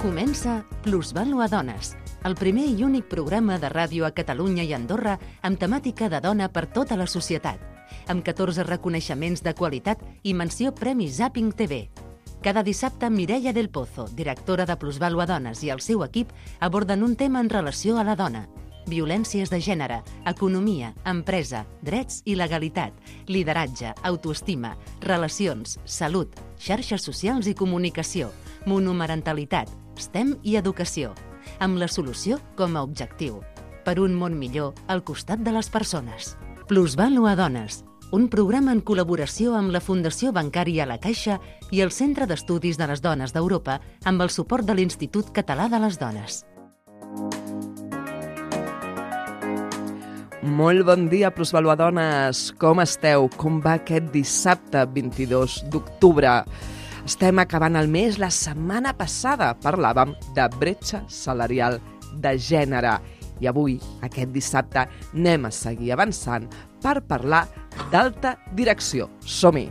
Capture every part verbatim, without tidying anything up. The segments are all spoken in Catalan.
Comença Plusvàlua Dones, el primer i únic programa de ràdio a Catalunya i Andorra amb temàtica de dona per tota la societat, amb catorze reconeixements de qualitat i menció Premi Zapping T V. Cada dissabte, Mireia del Pozo, directora de Plusvàlua Dones, i el seu equip aborden un tema en relació a la dona. Violències de gènere, economia, empresa, drets i legalitat, lideratge, autoestima, relacions, salut, xarxes socials i comunicació, monomarentalitat, STEM i educació, amb la solució com a objectiu. Per un món millor al costat de les persones. Plusvàlua Dones, un programa en col·laboració amb la Fundació Bancària La Caixa i el Centre d'Estudis de les Dones d'Europa amb el suport de l'Institut Català de les Dones. Molt bon dia, Plusvàlua Dones. Com esteu? Com va aquest dissabte vint-i-dos d'octubre? Estem acabant el mes. La setmana passada parlàvem de bretxa salarial de gènere. I avui, aquest dissabte, anem a seguir avançant per parlar d'alta direcció. Som-hi!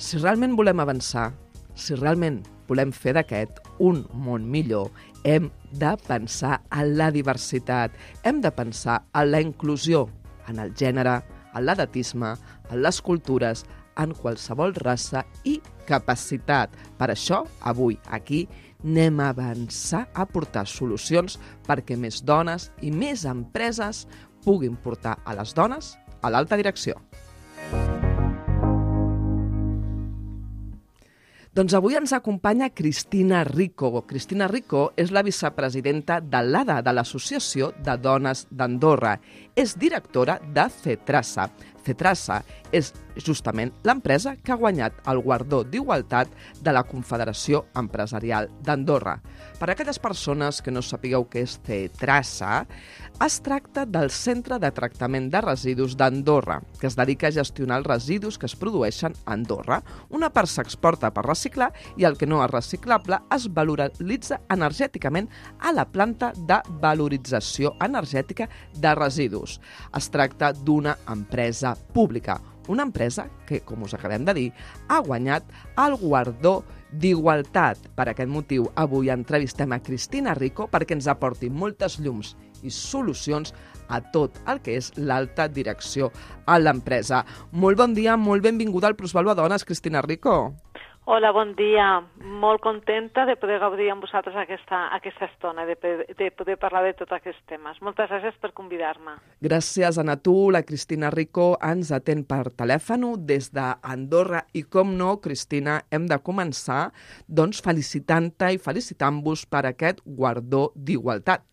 Si realment volem avançar, si realment volem fer d'aquest un món millor, hem de pensar en la diversitat, hem de pensar en la inclusió, en el gènere, en l'edatisme, en les cultures, en qualsevol raça i capacitat. Per això, avui, aquí, anem a avançar a portar solucions perquè més dones i més empreses puguin portar a les dones a l'alta direcció. Doncs avui ens acompanya Cristina Rico. Cristina Rico és la vicepresidenta de l'A D A, de l'Associació de Dones d'Andorra. És directora de CETRASA. CETRASA és justament l'empresa que ha guanyat el guardó d'igualtat de la Confederació Empresarial d'Andorra. Per a aquelles persones que no sapigueu què és CETRASA, es tracta del Centre de Tractament de Residus d'Andorra, que es dedica a gestionar els residus que es produeixen a Andorra. Una part s'exporta per reciclar i el que no és reciclable es valoritza energèticament a la planta de valorització energètica de residus. Es tracta d'una empresa pública, una empresa que, com us acabem de dir, ha guanyat el guardó d'igualtat. Per aquest motiu, avui entrevistem a Cristina Rico perquè ens aporti moltes llums i solucions a tot el que és l'alta direcció a l'empresa. Molt bon dia, molt benvinguda al Plusvàlua Dones, Cristina Rico. Hola, bon dia. Molt contenta de poder gaudir amb vosaltres aquesta, aquesta estona, de, de poder parlar de tots aquests temes. Moltes gràcies per convidar-me. Gràcies a tu. La Cristina Rico ens atén per telèfon des d'Andorra i, com no, Cristina, hem de començar doncs, felicitant-te i felicitant-vos per aquest guardó d'igualtat.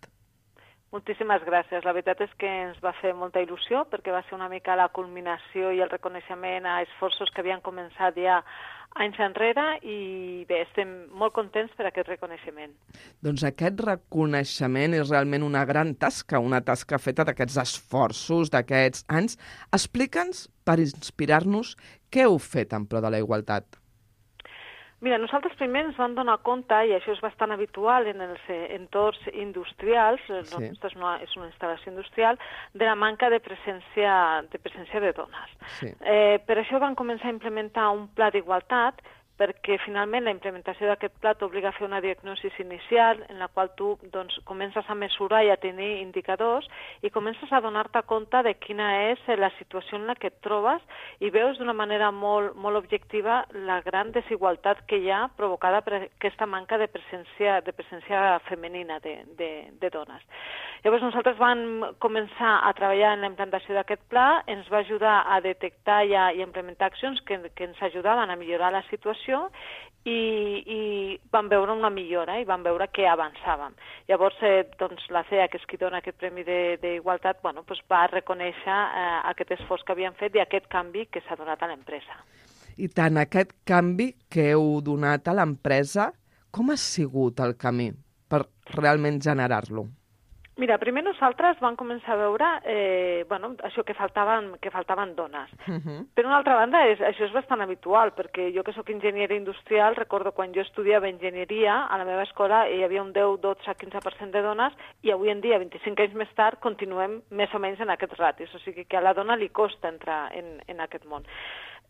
Moltíssimes gràcies. La veritat és que ens va fer molta il·lusió perquè va ser una mica la culminació i el reconeixement a esforços que havien començat ja anys enrere i bé, estem molt contents per aquest reconeixement. Doncs aquest reconeixement és realment una gran tasca, una tasca feta d'aquests esforços, d'aquests anys. Explica'ns, per inspirar-nos, què heu fet en pro de la igualtat? Mira, nosaltres primer ens vam donar compte, i això és bastant habitual en els entorns industrials, sí. és, una, és una instal·lació industrial, de la manca de presència de, presència de dones. Sí. Eh, per això vam començar a implementar un pla d'igualtat, perquè finalment la implementació d'aquest pla t'obliga a fer una diagnosi inicial en la qual tu doncs, comences a mesurar i a tenir indicadors i comences a donar-te compte de quina és la situació en la que et trobes i veus d'una manera molt, molt objectiva la gran desigualtat que hi ha provocada per aquesta manca de presència, de presència femenina de, de, de dones. Llavors nosaltres vam començar a treballar en la implantació d'aquest pla, ens va ajudar a detectar i a, i a implementar accions que, que ens ajudaven a millorar la situació I, i vam veure una millora i vam veure que avançàvem. Llavors, eh, doncs, la C E A, que és qui dona aquest Premi d'Igualtat, bueno, doncs va reconèixer eh, aquest esforç que havien fet i aquest canvi que s'ha donat a l'empresa. I tant, aquest canvi que heu donat a l'empresa, com ha sigut el camí per realment generar-lo? Mira, primer nosaltres vam començar a veure eh, bueno, això que faltaven, que faltaven dones. Uh-huh. Per una altra banda, és, això és bastant habitual, perquè jo que sóc enginyera industrial, recordo quan jo estudiava enginyeria, a la meva escola hi havia un deu, dotze, quinze per cent de dones, i avui en dia, vint-i-cinc anys més tard, continuem més o menys en aquests ratis. O sigui que a la dona li costa entrar en, en aquest món.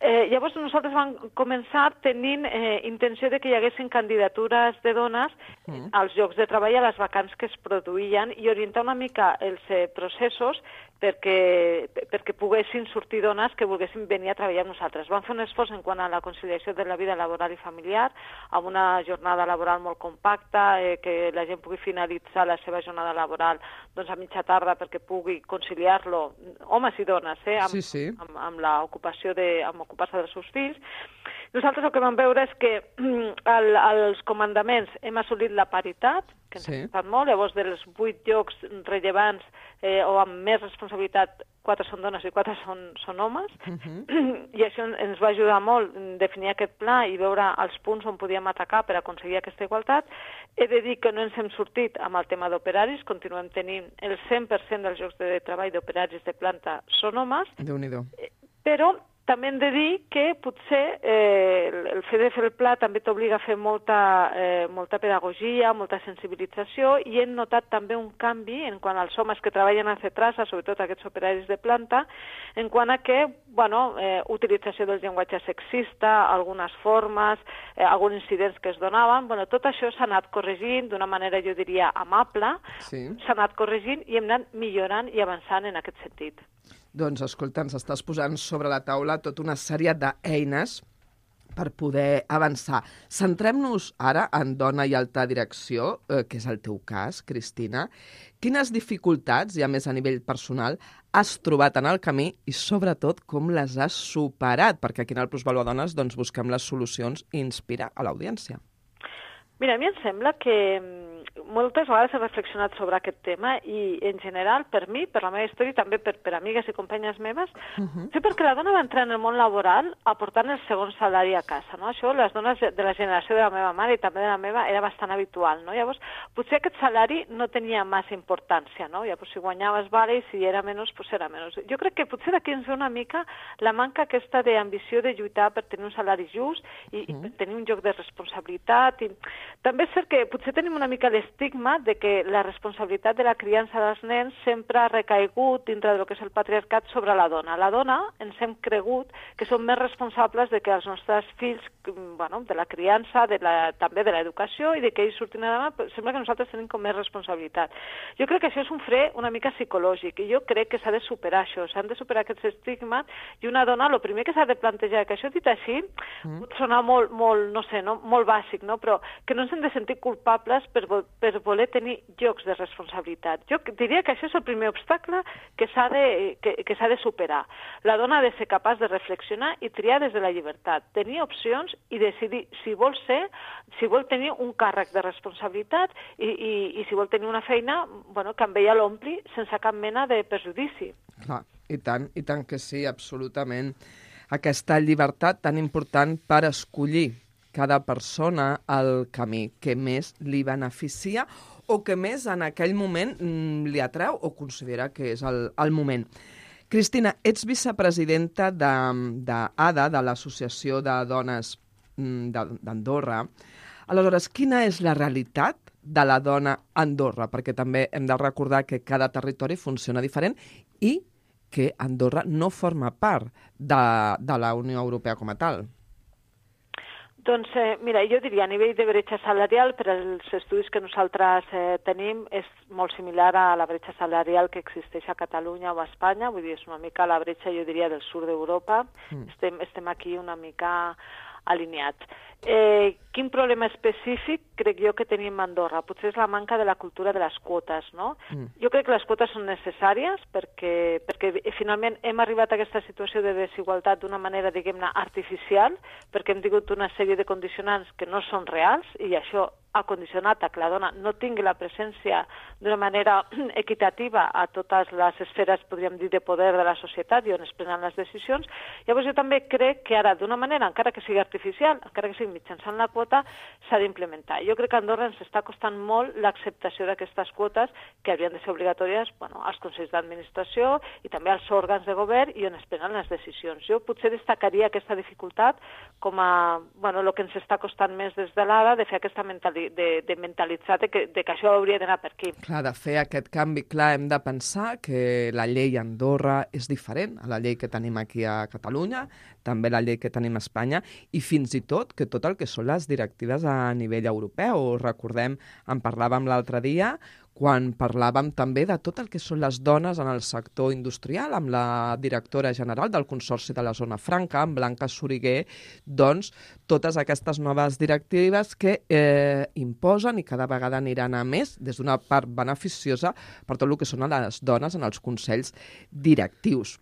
Eh, llavors nosaltres vam començar tenint eh, intenció de que hi haguessin candidatures de dones mm. als llocs de treball, a les vacants que es produïen, i orientar una mica els eh, processos perquè, perquè poguessin sortir dones que volguessin venir a treballar amb nosaltres. Vam fer un esforç en quant a la conciliació de la vida laboral i familiar, amb una jornada laboral molt compacta, eh, que la gent pugui finalitzar la seva jornada laboral doncs, a mitja tarda perquè pugui conciliar-lo, homes i dones, eh, amb, sí, sí. amb, amb l'ocupació de, amb ocupar-se dels seus fills. Nosaltres el que vam veure és que el, als comandaments hem assolit la paritat, que ens sí. ha costat molt, llavors dels vuit llocs rellevants eh, o amb més responsabilitat, quatre són dones i quatre són, són homes, uh -huh. i això ens va ajudar molt a definir aquest pla i veure els punts on podíem atacar per aconseguir aquesta igualtat. He de dir que no ens hem sortit amb el tema d'operaris, continuem tenint el cent per cent dels llocs de treball d'operaris de planta són homes, Déu-n'hi-do. Però també hem de dir que potser eh, el fet de fer el pla també t'obliga a fer molta, eh, molta pedagogia, molta sensibilització, i hem notat també un canvi en quant als homes que treballen a Cetrasa, sobretot aquests operaris de planta, en quant a que, bueno, eh, utilització del llenguatge sexista, algunes formes, eh, alguns incidents que es donaven, bueno, tot això s'ha anat corregint d'una manera, jo diria, amable, sí. s'ha anat corregint i hem anat millorant i avançant en aquest sentit. Doncs, escolta, ens estàs posant sobre la taula tota una sèrie d'eines per poder avançar. Centrem-nos ara en dona i alta direcció, eh, que és el teu cas, Cristina. Quines dificultats, ja més a nivell personal, has trobat en el camí i, sobretot, com les has superat? Perquè aquí en el Plusvalua Dones doncs, busquem les solucions i inspirar a l'audiència. Mira, a mi em sembla que moltes vegades he reflexionat sobre aquest tema i, en general, per mi, per la meva història i també per, per amigues i companyes meves, uh-huh. sí, perquè la dona va entrar en el món laboral aportant el segon salari a casa, no? Això, les dones de la generació de la meva mare i també de la meva, era bastant habitual, no? Llavors, potser aquest salari no tenia massa importància, no? Llavors, si guanyaves, vale, i si era menys, pues era menys. Jo crec que potser d'aquí ens ve una mica la manca aquesta d'ambició de lluitar per tenir un salari just i, uh-huh. i per tenir un lloc de responsabilitat. I també és cert que potser tenim una mica l'estigma de que la responsabilitat de la criança dels nens sempre ha recaigut dintre del que és el patriarcat sobre la dona. La dona ens hem cregut que som més responsables de que els nostres fills, bueno, de la criança, de la, també de l'educació i de que ells surtin a demà, sembla que nosaltres tenim com més responsabilitat. Jo crec que això és un fre una mica psicològic i jo crec que s'ha de superar això, s'han de superar aquests estigmes i una dona, el primer que s'ha de plantejar, que això dit així, mm. pot sonar molt, molt, no sé, no? molt bàsic, no? Però que no ens hem de sentir culpables per, per voler tenir llocs de responsabilitat. Jo diria que això és el primer obstacle que s'ha de, que, que s'ha de superar. La dona ha de ser capaç de reflexionar i triar des de la llibertat, tenir opcions i decidir si vol ser, si vol tenir un càrrec de responsabilitat i, i, i si vol tenir una feina, bueno, que amb ella l'ompli sense cap mena de perjudici. Clar, i tant, i tant que sí, absolutament. Aquesta llibertat tan important per escollir cada persona el camí que més li beneficia o que més en aquell moment mm, li atreu o considera que és el, el moment. Cristina, ets vicepresidenta d'ADA, de, de l'Associació de Dones d'Andorra. Aleshores, quina és la realitat de la dona a Andorra? Perquè també hem de recordar que cada territori funciona diferent i que Andorra no forma part de, de la Unió Europea com a tal. Doncs, eh, mira, jo diria, a nivell de bretxa salarial, per als estudis que nosaltres eh, tenim, és molt similar a la bretxa salarial que existeix a Catalunya o a Espanya, vull dir, és una mica la bretxa, jo diria, del sud d'Europa. Mm. Estem, estem aquí una mica alineats. Eh, quin problema específic crec jo que tenim a Andorra? Potser és la manca de la cultura de les quotes, no? Mm. Jo crec que les quotes són necessàries perquè, perquè finalment hem arribat a aquesta situació de desigualtat d'una manera, diguem-ne, artificial, perquè hem tingut una sèrie de condicionants que no són reals i això ha condicionat a que la dona no tingui la presència d'una manera equitativa a totes les esferes, podríem dir, de poder de la societat i on es prenen les decisions. Llavors jo també crec que ara, d'una manera, encara que sigui artificial, encara que sigui mitjançant la quota, quota s'ha d'implementar. Jo crec que a Andorra ens està costant molt l'acceptació d'aquestes quotes que haurien de ser obligatòries bueno, als consells d'administració i també als òrgans de govern i on es prenen les decisions. Jo potser destacaria aquesta dificultat com a bueno, el que ens està costant més des de l'A D A de fer aquesta mentali de, de mentalitzar de que, de que això hauria d'anar per aquí. Clar, de fer aquest canvi, clar, hem de pensar que la llei a Andorra és diferent a la llei que tenim aquí a Catalunya, també la llei que tenim a Espanya, i fins i tot que tot el que són les directives a nivell europeu. Recordem, en parlàvem l'altre dia, quan parlàvem també de tot el que són les dones en el sector industrial, amb la directora general del Consorci de la Zona Franca, amb Blanca Soriguer, doncs totes aquestes noves directives que eh, imposen i cada vegada aniran a més, des d'una part beneficiosa per tot el que són les dones en els consells directius.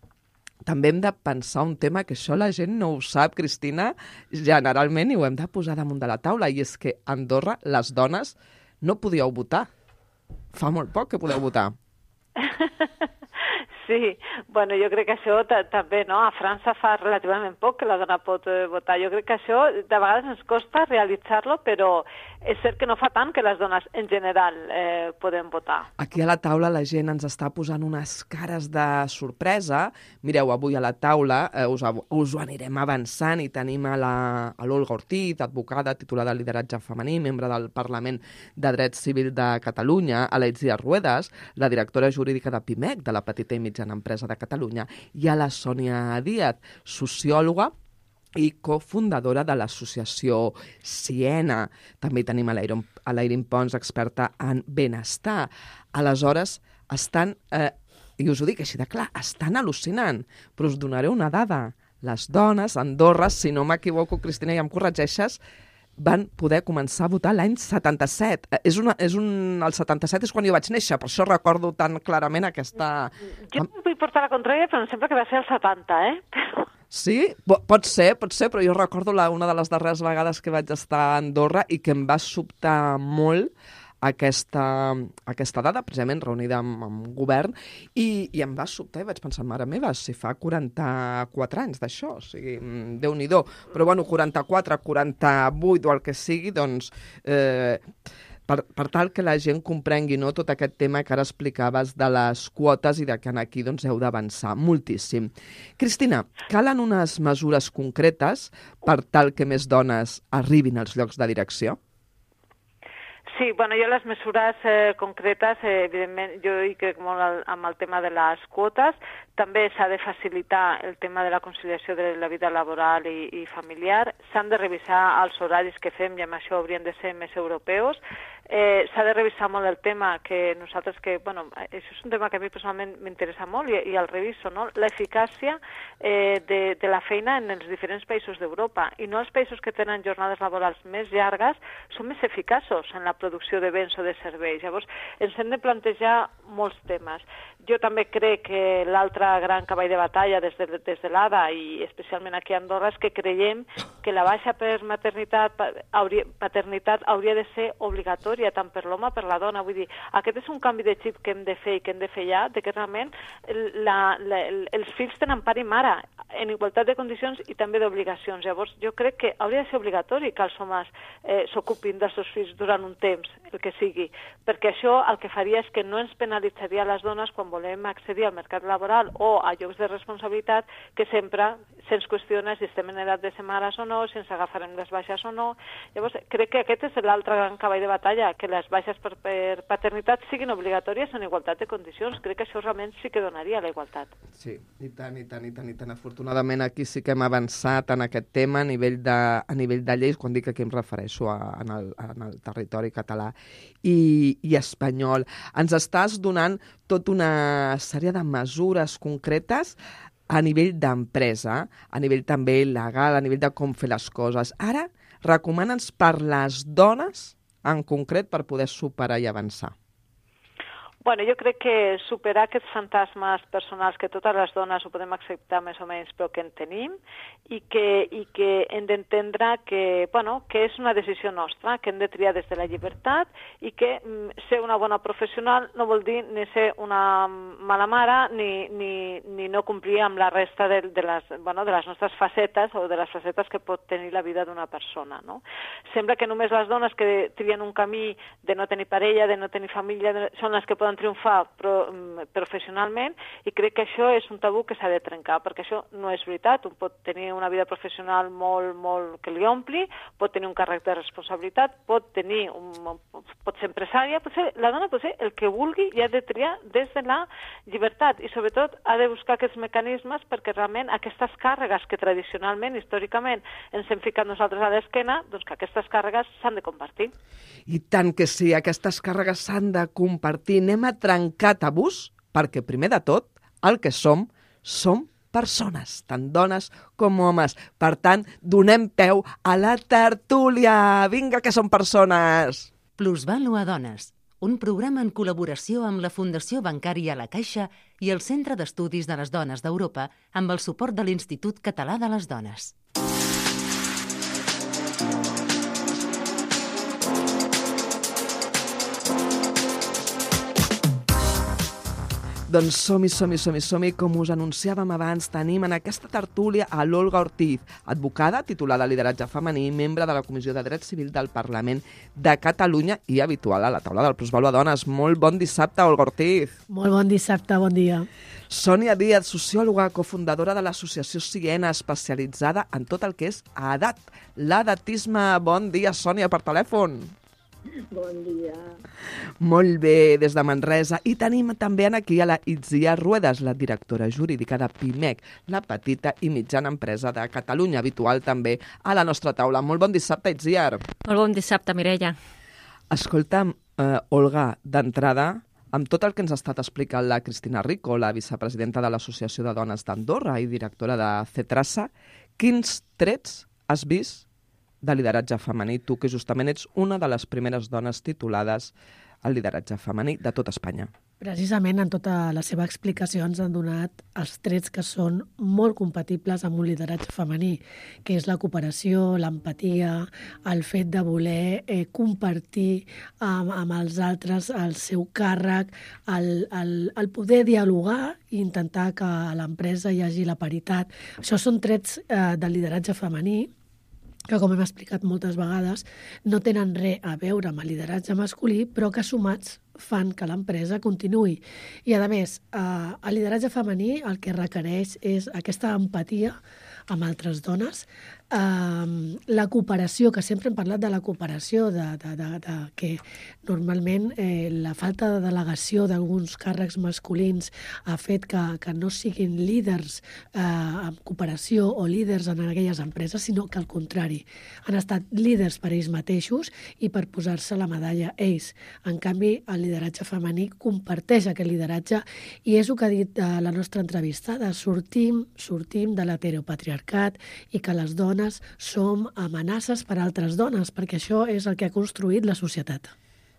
També hem de pensar un tema que això la gent no ho sap, Cristina, generalment, i ho hem de posar damunt de la taula, i és que a Andorra les dones no podíeu votar. Fa molt poc que podeu votar. Sí, bueno, jo crec que això també, no? A França fa relativament poc que la dona pot eh, votar. Jo crec que això de vegades ens costa realitzar-lo, però és cert que no fa tant que les dones en general eh, podem votar. Aquí a la taula la gent ens està posant unes cares de sorpresa. Mireu, avui a la taula eh, us, us ho anirem avançant i tenim a l'Olga Ortiz, advocada, titular de lideratge femení, membre del Parlament de Dret Civil de Catalunya, a l'Aitzia Ruedas, la directora jurídica de Pimec, de la petita i mitjana empresa de Catalunya, i a la Sònia Díaz, sociòloga i cofundadora de l'associació Siena. També tenim a l'Eirin Pons, experta en benestar. Aleshores, estan, eh, i us ho dic així de clar, estan al·lucinant, però us donaré una dada. Les dones a Andorra, si no m'equivoco, Cristina, ja em corregeixes, van poder començar a votar l'any setanta-set. És una, és un, el setanta-set és quan jo vaig néixer, per això recordo tan clarament aquesta... Jo no vull portar la contrària, però em sembla que va ser el setanta, eh? Però... Sí? Pot ser, pot ser, però jo recordo la, una de les darreres vegades que vaig estar a Andorra i que em va sobtar molt aquesta, aquesta dada, precisament reunida amb, amb govern, i, i em va sobtar i vaig pensar, mare meva, si fa quaranta-quatre anys d'això, o sigui, Déu-n'hi-do. Però bueno, quaranta-quatre, quaranta-vuit o el que sigui, doncs... Eh, Per, per tal que la gent comprengui, no, tot aquest tema que ara explicaves de les quotes i de que aquí doncs, heu d'avançar moltíssim. Cristina, calen unes mesures concretes per tal que més dones arribin als llocs de direcció? Sí, bueno, jo les mesures eh, concretes, eh, evidentment, jo hi crec molt al, amb el tema de les quotes. També s'ha de facilitar el tema de la conciliació de la vida laboral i, i familiar. S'han de revisar els horaris que fem i amb això haurien de ser més europeus. Eh, s'ha de revisar molt el tema que nosaltres, que, bueno, això és un tema que a mi personalment m'interessa molt i, i el reviso, no? L'eficàcia eh, de, de la feina en els diferents països d'Europa. I no els països que tenen jornades laborals més llargues són més eficaços en la producció de béns o de serveis. Llavors, ens hem de plantejar molts temes. Jo també crec que l'altre gran cavall de batalla des de, des de l'A D A i especialment aquí a Andorra és que creiem que la baixa per maternitat, hauria, paternitat hauria de ser obligatòria tant per l'home com per la dona. Vull dir, aquest és un canvi de xip que hem de fer i que hem de fer ja, de que realment la, la, els fills tenen pare i mare en igualtat de condicions i també d'obligacions. Llavors, jo crec que hauria de ser obligatori que els homes eh, s'ocupin dels seus fills durant un temps, el que sigui, perquè això el que faria és que no ens penalitzaria les dones quan volem accedir al mercat laboral o a llocs de responsabilitat, que sempre se'ns qüestiona si estem en edat de ser mares o no, si ens agafarem les baixes o no. Llavors, crec que aquest és l'altre gran cavall de batalla, que les baixes per, per paternitat siguin obligatòries en igualtat de condicions. Crec que això realment sí que donaria la igualtat. Sí, i tant, i tant, i tant, i tant. Afortunadament aquí sí que hem avançat en aquest tema a nivell de, a nivell de lleis, quan dic que aquí em refereixo a, en, el, en el territori català i, i espanyol. Ens estàs donant tota una sèrie de mesures concretes a nivell d'empresa, a nivell també legal, a nivell de com fer les coses. Ara, recomana'ns per les dones en concret per poder superar i avançar. Bueno, jo crec que superar aquests fantasmes personals que totes les dones ho podem acceptar més o menys, però que en tenim, i que, i que hem d'entendre que, bueno, que és una decisió nostra, que hem de triar des de la llibertat, i que mm, ser una bona professional no vol dir ni ser una mala mare ni, ni, ni no complir amb la resta de, de, les, bueno, de les nostres facetes o de les facetes que pot tenir la vida d'una persona, no? Sembla que només les dones que trien un camí de no tenir parella, de no tenir família, de, són les que poden triomfar pro, professionalment, i crec que això és un tabú que s'ha de trencar, perquè això no és veritat. Un pot tenir una vida professional molt, molt que li ompli, pot tenir un càrrec de responsabilitat, pot tenir un, pot ser empresària, pot ser, la dona pot ser el que vulgui i ha de triar des de la llibertat, i sobretot ha de buscar aquests mecanismes perquè realment aquestes càrregues que tradicionalment, històricament, ens hem ficat nosaltres a l'esquena, doncs que aquestes càrregues s'han de compartir. I tant que sí, aquestes càrregues s'han de compartir. Anem a trencar tabús, perquè primer de tot, el que som, som persones, tant dones com homes. Per tant, donem peu a la tertúlia. Vinga, que som persones! Plusvàlua Dones, un programa en col·laboració amb la Fundació Bancària La Caixa i el Centre d'Estudis de les Dones d'Europa amb el suport de l'Institut Català de les Dones. Doncs som-hi, som-hi, som-hi, som-hi. Com us anunciàvem abans, tenim en aquesta tertúlia a l'Olga Ortiz, advocada, titulada Lideratge Femení, membre de la Comissió de Dret Civil del Parlament de Catalunya i habitual a la taula del Plusvàlua Dones. Molt bon dissabte, Olga Ortiz. Molt bon dissabte, bon dia. Sònia Díaz, sociòloga, cofundadora de l'associació Siena, especialitzada en tot el que és edat, l'edatisme. Bon dia, Sònia, per telèfon. Bon dia. Molt bé, des de Manresa. I tenim també aquí a la Itziar Ruedas, la directora jurídica de Pimec, la petita i mitjana empresa de Catalunya, habitual també a la nostra taula. Molt bon dissabte, Itziar. Molt bon dissabte, Mireia. Escolta'm, eh, Olga, d'entrada, amb tot el que ens ha estat explicant la Cristina Rico, la vicepresidenta de l'Associació de Dones d'Andorra i directora de CETRASA, quins trets has vist de lideratge femení, tu que justament ets una de les primeres dones titulades al lideratge femení de tot Espanya? Precisament en tota la seva explicació ens han donat els trets que són molt compatibles amb un lideratge femení, que és la cooperació, l'empatia, el fet de voler eh, compartir amb, amb els altres el seu càrrec, el, el, el poder dialogar i intentar que a l'empresa hi hagi la paritat. Això són trets eh, del lideratge femení que, com hem explicat moltes vegades, no tenen res a veure amb el lideratge masculí, però que sumats fan que l'empresa continuï. I, a més, eh, el lideratge femení el que requereix és aquesta empatia amb altres dones, eh, la cooperació, que sempre hem parlat de la cooperació, de, de, de, de que normalment eh, la falta de delegació d'alguns càrrecs masculins ha fet que, que no siguin líders eh, en cooperació o líders en aquelles empreses, sinó que al contrari, han estat líders per ells mateixos i per posar-se la medalla ells. En canvi, el lideratge femení comparteix aquest lideratge i és el que ha dit a la nostra entrevistada, sortim, sortim de l'heteropatriarcat i que les dones som amenaces per a altres dones, perquè això és el que ha construït la societat.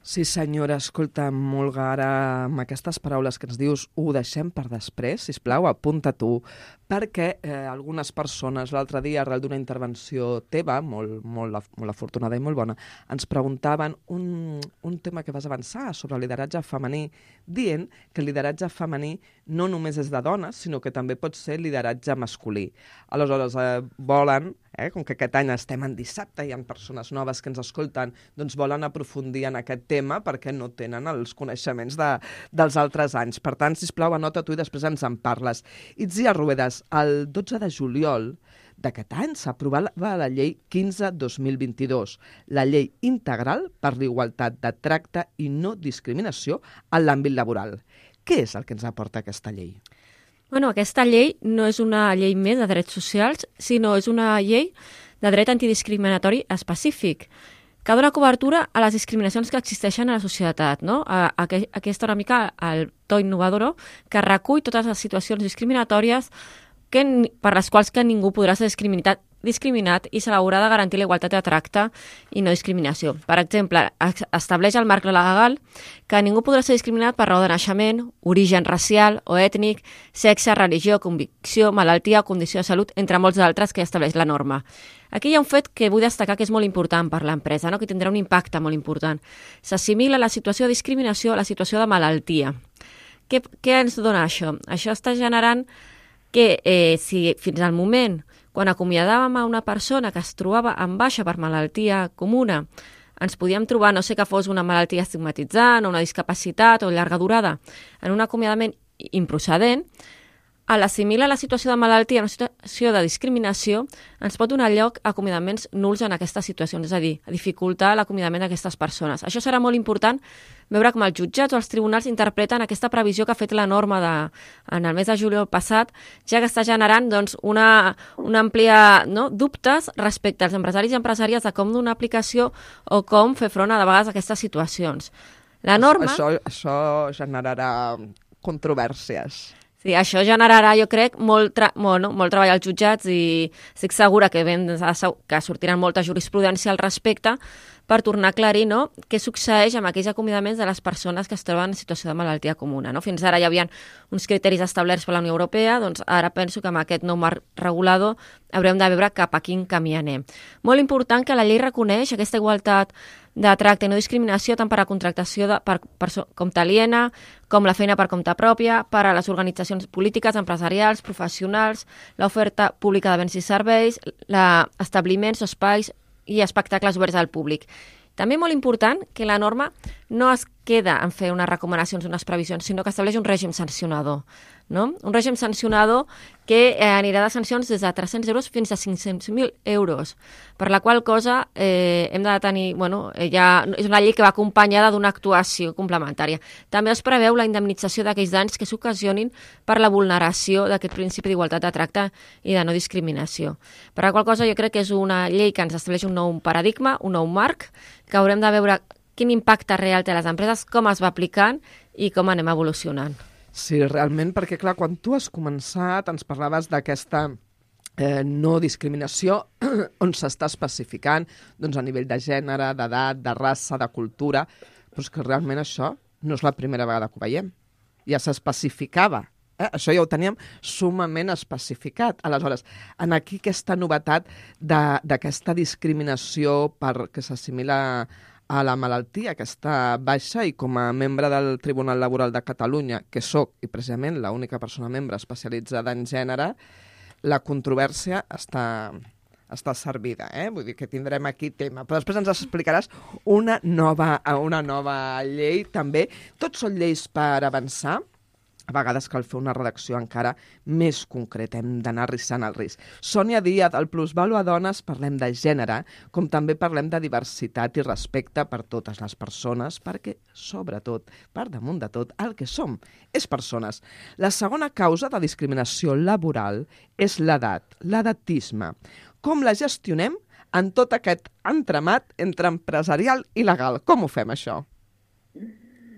Sí, senyora, escolta'm, Olga, ara amb aquestes paraules que ens dius ho deixem per després, sisplau, apunta tu, perquè eh, algunes persones l'altre dia, arrel d'una intervenció teva, molt, molt, molt afortunada i molt bona, ens preguntaven un, un tema que vas avançar sobre el lideratge femení, dient que el lideratge femení no només és de dones, sinó que també pot ser lideratge masculí. Aleshores, eh, volen, eh, com que aquest any estem en dissabte i hi ha persones noves que ens escolten, doncs volen aprofundir en aquest tema perquè no tenen els coneixements de, dels altres anys. Per tant, sisplau, anota tu i després ens en parles. Itziar Ruedas, el dotze de juliol d'aquest any s'aprovava la llei quinze dos mil vint-i-dos, la llei integral per l'igualtat de tracte i no discriminació en l'àmbit laboral. Què és el que ens aporta aquesta llei? Bueno, aquesta llei no és una llei més de drets socials, sinó és una llei de dret antidiscriminatori específic, que dona cobertura a les discriminacions que existeixen a la societat, no? A, a, a aquesta una mica el to innovador que recull totes les situacions discriminatòries que, per les quals que ningú podrà ser discriminat, discriminat i se l'haurà de garantir la igualtat de tracte i no discriminació. Per exemple, estableix el marc legal que ningú podrà ser discriminat per raó de naixement, origen racial o ètnic, sexe, religió, convicció, malaltia o condició de salut, entre molts d'altres que estableix la norma. Aquí hi ha un fet que vull destacar que és molt important per l'empresa, no? Que tindrà un impacte molt important. S'assimila la situació de discriminació a la situació de malaltia. Què, què ens dona això? Això està generant que eh, si fins al moment, quan acomiadàvem a una persona que es trobava en baixa per malaltia comuna, ens podíem trobar, no sé que fos una malaltia estigmatitzant o una discapacitat o llarga durada, en un acomiadament improcedent, a l'assimilar la situació de malaltia a una situació de discriminació ens pot donar lloc a acomiadaments nuls en aquestes situacions, és a dir, a dificultar l'acomiadament d'aquestes persones. Això serà molt important veure com els jutjats o els tribunals interpreten aquesta previsió que ha fet la norma de, en el mes de juliol passat, ja que està generant doncs, una, una àmplia no, dubtes respecte als empresaris i empresàries de com donar aplicació o com fer front a, de vegades a aquestes situacions. La norma... Això, això generarà controvèrsies. Sí, això generarà, jo crec, molt, tra bueno, molt treball als jutjats i estic segura que, ben, que sortiran molta jurisprudència al respecte per tornar a aclarir no, què succeeix amb aquells acomiadaments de les persones que es troben en situació de malaltia comuna. No? Fins ara hi havia uns criteris establerts per la Unió Europea, doncs ara penso que amb aquest nou marc regulador haurem de veure cap a quin camí anem. Molt important que la llei reconeix aquesta igualtat de tracte i no discriminació tant per a contractació de, per, per compte aliena, com la feina per compte pròpia, per a les organitzacions polítiques, empresarials, professionals, l'oferta pública de béns i serveis, establiments, espais i espectacles oberts al públic. També molt important que la norma no es queda en fer unes recomanacions, unes previsions, sinó que estableix un règim sancionador. No? Un règim sancionador que eh, anirà de sancions des de tres-cents euros fins a cinc-cents mil euros, per la qual cosa eh, hem de tenir, bueno, eh, ja, és una llei que va acompanyada d'una actuació complementària. També es preveu la indemnització d'aquells danys que s'ocasionin per la vulneració d'aquest principi d'igualtat de tracte i de no discriminació. Per la qual cosa jo crec que és una llei que ens estableix un nou paradigma, un nou marc, que haurem de veure quin impacte real té a les empreses, com es va aplicant i com anem evolucionant. Sí, realment, perquè clar, quan tu has començat ens parlaves d'aquesta eh, no discriminació on s'està especificant doncs, a nivell de gènere, d'edat, de raça, de cultura, però és que realment això no és la primera vegada que ho veiem. Ja s'especificava. Eh? Això ja ho teníem sumament especificat. Aleshores, en aquí aquesta novetat d'aquesta discriminació per que s'assimila a la malaltia, aquesta baixa, i com a membre del Tribunal Laboral de Catalunya, que sóc, i precisament l'única persona membre especialitzada en gènere, la controvèrsia està, està servida, eh? Vull dir que tindrem aquí tema. Però després ens explicaràs una nova, una nova llei, també. Tots són lleis per avançar. A vegades cal fer una redacció encara més concreta, hem d'anar arrissant el risc. Sònia Díaz, al Plusvàlua Dones parlem de gènere, com també parlem de diversitat i respecte per totes les persones, perquè, sobretot, per damunt de tot, el que som és persones. La segona causa de discriminació laboral és l'edat, l'edatisme. Com la gestionem en tot aquest entramat entre empresarial i legal? Com ho fem, això?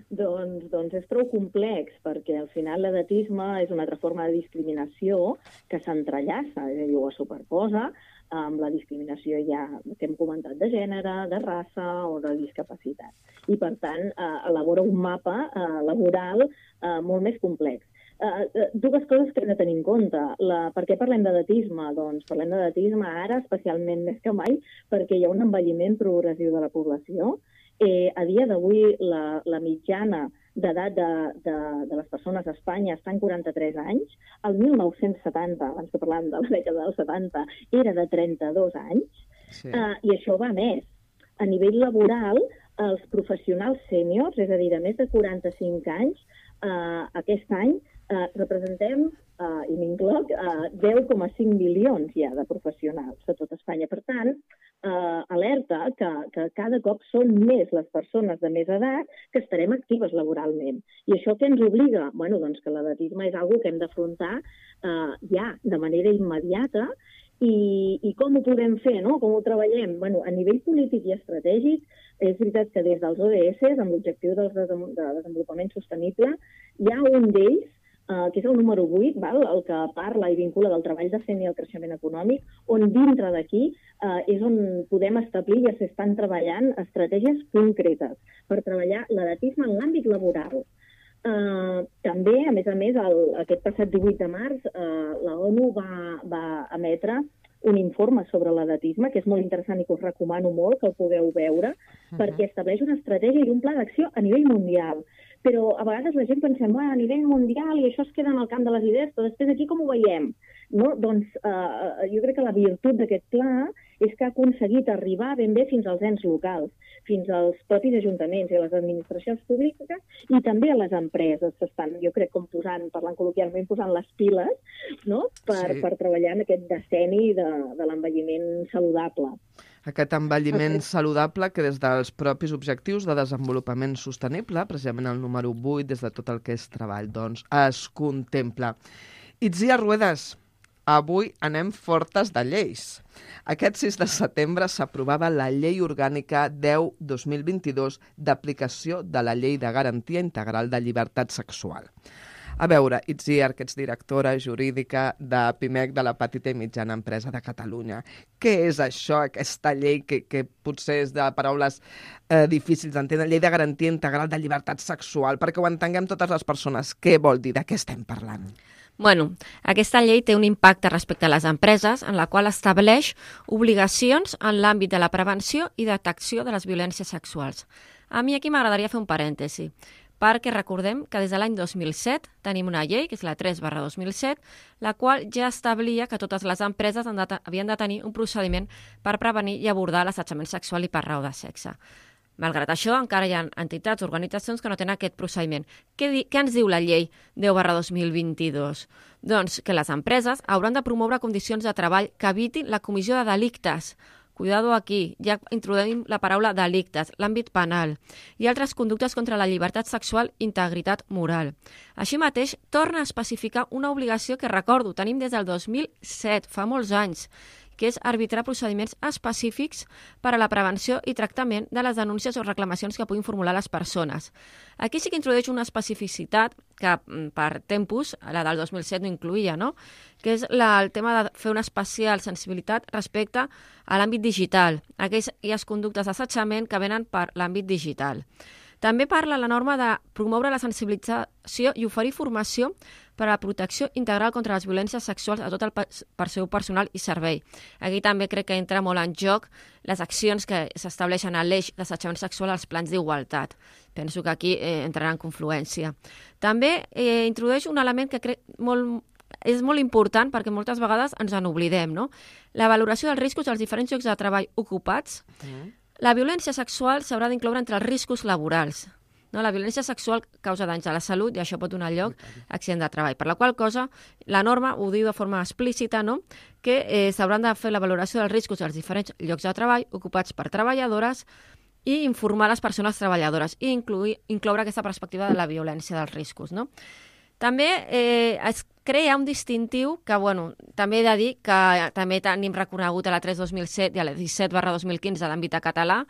Doncs, doncs és prou complex, perquè al final l'edatisme és una altra forma de discriminació que s'entrellaça, és a dir, ho superposa amb la discriminació ja que hem comentat de gènere, de raça o de discapacitat. I, per tant, eh, elabora un mapa eh, laboral eh, molt més complex. Uh, dues coses que hem de tenir en compte. La, per què parlem d'edatisme? Doncs parlem d'edatisme ara, especialment més que mai, perquè hi ha un envelliment progressiu de la població. Eh, a dia d'avui, la, la mitjana d'edat de, de, de les persones a Espanya està en quaranta-tres anys. El mil nou-cents setanta, abans que parlàvem de la dècada dels setanta, era de trenta-dos anys. Sí. Uh, I això va més. A nivell laboral, els professionals sèniors, és a dir, de més de quaranta-cinc anys, uh, aquest any Uh, representem, uh, i m'incloc, uh, deu coma cinc milions ja de professionals a tot Espanya. Per tant, uh, alerta que, que cada cop són més les persones de més edat que estarem actives laboralment. I això què ens obliga? Bueno, doncs que l'edatisme és una cosa que hem d'afrontar uh, ja de manera immediata. I, i com ho podem fer, no? Com ho treballem? Bueno, a nivell polític i estratègic, és veritat que des dels O D S, amb l'objectiu del de desenvolupament sostenible, hi ha un d'ells Uh, que és el número vuit, val? El que parla i vincula del treball decent i el creixement econòmic, on dintre d'aquí uh, és on podem establir i s'estan treballant estratègies concretes per treballar l'edatisme en l'àmbit laboral. Uh, també, a més a més, el, aquest passat divuit de març, uh, la ONU va, va emetre un informe sobre l'edatisme, que és molt interessant i que us recomano molt que el pugueu veure, uh-huh. perquè estableix una estratègia i un pla d'acció a nivell mundial. Però a vegades la gent pensem, bueno, a nivell mundial i això es queda en el camp de les idees, però després aquí com ho veiem? No? Doncs eh, jo crec que la virtut d'aquest pla és que ha aconseguit arribar ben bé fins als ens locals, fins als propis ajuntaments i a les administracions públiques i també a les empreses. S'estan, jo crec, com posant, parlant col·loquialment, posant les piles, no? per, sí. per treballar en aquest decenni de, de l'envelliment saludable. Aquest envelliment saludable que des dels propis objectius de desenvolupament sostenible, precisament el número vuit, des de tot el que és treball, doncs es contempla. Itziar Ruedas, avui anem fortes de lleis. Aquest sis de setembre s'aprovava la Llei Orgànica deu barra dos mil vint-i-dos d'aplicació de la Llei de Garantia Integral de Llibertat Sexual. A veure, Itziar, que ets directora jurídica de PIMEC, de la Petita i Mitjana Empresa de Catalunya. Què és això, aquesta llei que, que potser és de paraules eh, difícils d'entendre, Llei de Garantia Integral de Llibertat Sexual, perquè ho entenguem totes les persones? Què vol dir? De què estem parlant? Bueno, aquesta llei té un impacte respecte a les empreses en la qual estableix obligacions en l'àmbit de la prevenció i detecció de les violències sexuals. A mi aquí m'agradaria fer un parèntesi, perquè recordem que des de l'any dos mil set tenim una llei, que és la tres barra dos mil set, la qual ja establia que totes les empreses han de, havien de tenir un procediment per prevenir i abordar l'assetjament sexual i per raó de sexe. Malgrat això, encara hi ha entitats o organitzacions que no tenen aquest procediment. Què, di, què ens diu la llei deu barra dos mil vint-i-dos? Doncs que les empreses hauran de promoure condicions de treball que evitin la comissió de delictes. Cuidado aquí, ja introduïm la paraula delictes, l'àmbit penal i altres conductes contra la llibertat sexual i integritat moral. Així mateix, torna a especificar una obligació que, recordo, tenim des del dos mil set, fa molts anys, que és arbitrar procediments específics per a la prevenció i tractament de les denúncies o reclamacions que puguin formular les persones. Aquí sí que introdueix una especificitat que per tempus, la del dos mil set no incluïa, no? Que és la, el tema de fer una especial sensibilitat respecte a l'àmbit digital, aquelles conductes d'assetjament que venen per l'àmbit digital. També parla la norma de promoure la sensibilització i oferir formació per a la protecció integral contra les violències sexuals a tot el per seu personal i servei. Aquí també crec que entra molt en joc les accions que s'estableixen a l'eix d'assetjament sexual als plans d'igualtat. Penso que aquí eh, entrarà en confluència. També eh, introdueix un element que crec molt, és molt important perquè moltes vegades ens en oblidem, no? La valoració dels riscos dels diferents llocs de treball ocupats. Mm. La violència sexual s'haurà d'incloure entre els riscos laborals. No? La violència sexual causa danys a la salut i això pot donar lloc a accident de treball. Per la qual cosa, la norma ho diu de forma explícita, no? Que eh, s'hauran de fer la valoració dels riscos dels diferents llocs de treball ocupats per treballadores i informar les persones treballadores i incluir, incloure aquesta perspectiva de la violència dels riscos. No? També eh, es crea un distintiu que, bueno, també he de dir que també tenim reconegut a la tres barra dos mil set i a la disset barra dos mil quinze d'àmbit català,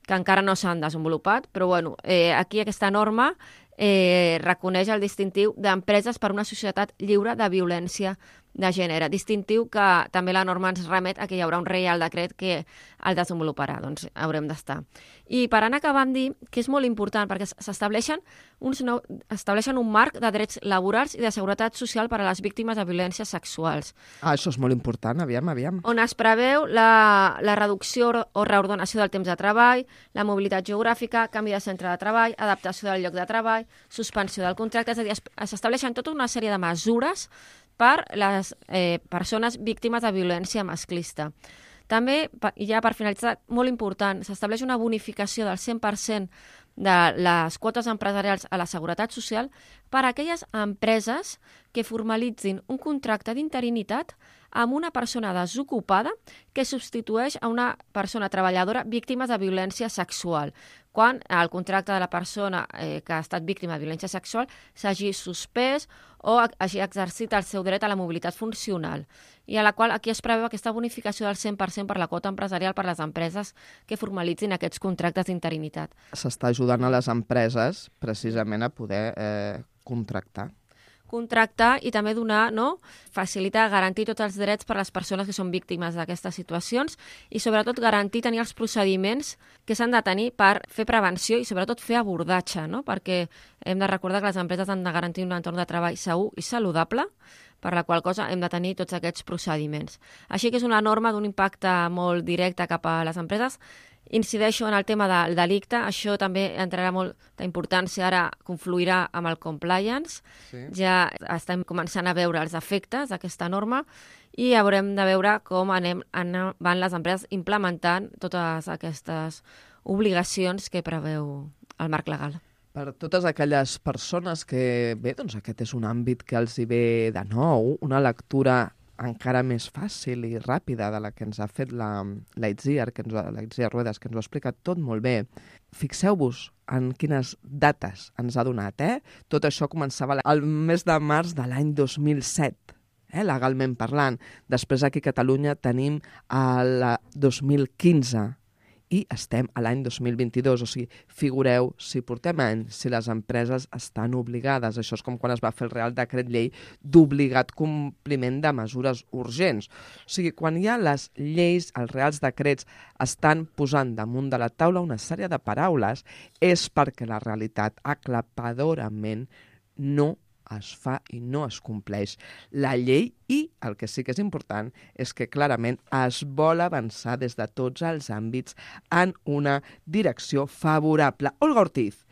que encara no s'han desenvolupat, però bueno, eh, aquí aquesta norma eh, reconeix el distintiu d'empreses per una societat lliure de violència de gènere, distintiu que també la norma ens remet a que hi haurà un reial decret que el desenvoluparà, doncs haurem d'estar. I per anar acabant dir que és molt important perquè s'estableixen uns nou, estableixen un marc de drets laborals i de seguretat social per a les víctimes de violències sexuals. Ah, això és molt important, aviam, aviam. On es preveu la, la reducció o reordenació del temps de treball, la mobilitat geogràfica, canvi de centre de treball, adaptació del lloc de treball, suspensió del contracte, és a dir, s'estableixen tota una sèrie de mesures per les eh, persones víctimes de violència masclista. També, i ja per finalitzar, molt important, s'estableix una bonificació del cent per cent de les quotes empresarials a la Seguretat Social per a aquelles empreses que formalitzin un contracte d'interinitat amb una persona desocupada que substitueix a una persona treballadora víctima de violència sexual, quan el contracte de la persona eh, que ha estat víctima de violència sexual s'hagi suspès o hagi exercit el seu dret a la mobilitat funcional, i a la qual aquí es preveu aquesta bonificació del cent per cent per la quota empresarial per a les empreses que formalitzin aquests contractes d'interinitat. S'està ajudant a les empreses precisament a poder eh, contractar. contractar i també donar, no? Facilitar, garantir tots els drets per a les persones que són víctimes d'aquestes situacions i sobretot garantir tenir els procediments que s'han de tenir per fer prevenció i sobretot fer abordatge, no? Perquè hem de recordar que les empreses han de garantir un entorn de treball segur i saludable, per la qual cosa hem de tenir tots aquests procediments. Així que és una norma d'un impacte molt directe cap a les empreses. Incideixo en el tema del delicte, això també entrarà molta importància, ara confluirà amb el compliance, sí. Ja estem començant a veure els efectes d'aquesta norma i haurem de veure com anem, anem, van les empreses implementant totes aquestes obligacions que preveu el marc legal. Per totes aquelles persones que, bé, doncs aquest és un àmbit que els hi ve de nou, una lectura encara més fàcil i ràpida de la que ens ha fet la, la Itziar, que ens, la Itziar Ruedas, que ens ho ha explicat tot molt bé. Fixeu-vos en quines dates ens ha donat, eh? Tot això començava el mes de març de l'any dos mil set, eh? Legalment parlant. Després aquí a Catalunya tenim el dos mil quinze, i estem a l'any dos mil vint-i-dos, o sigui, figureu si portem anys, si les empreses estan obligades. Això és com quan es va fer el Real Decret Llei d'obligat compliment de mesures urgents. O sigui, quan hi ha les lleis, els reals decrets estan posant damunt de la taula una sèrie de paraules, és perquè la realitat aclapadorament no es fa i no es compleix la llei i el que sí que és important és que clarament es vol avançar des de tots els àmbits en una direcció favorable. Olga Ortiz,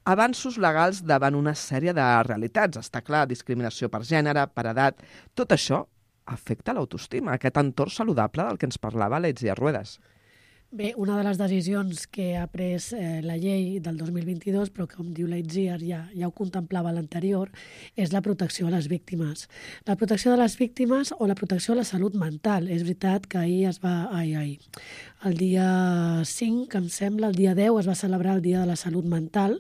avanços legals davant una sèrie de realitats. Està clar, discriminació per gènere, per edat, tot això afecta l'autoestima, aquest entorn saludable del que ens parlava la Itziar Ruedas. Bé, una de les decisions que ha pres eh, la llei del dos mil vint-i-dos, però que, com diu la Itziar, ja, ja ho contemplava l'anterior, és la protecció a les víctimes. La protecció de les víctimes o la protecció a la salut mental. És veritat que ahir es va... Ai, ai. El dia cinc, em sembla, el dia deu, es va celebrar el Dia de la Salut Mental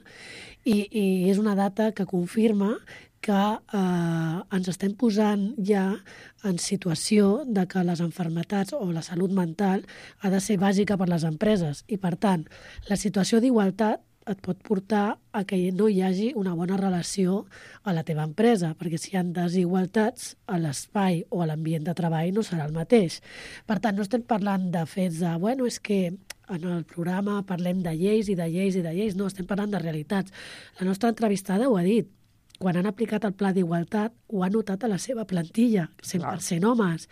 i, i és una data que confirma que eh, ens estem posant ja en situació de que les malalties o la salut mental ha de ser bàsica per les empreses i, per tant, la situació d'igualtat et pot portar a que no hi hagi una bona relació a la teva empresa, perquè si hi ha desigualtats a l'espai o a l'ambient de treball no serà el mateix. Per tant, no estem parlant de fets de, bueno, és que en el programa parlem de lleis i de lleis i de lleis, no, estem parlant de realitats. La nostra entrevistada ho ha dit. Quan han aplicat el pla d'igualtat, ho ha notat a la seva plantilla, cent per cent homes.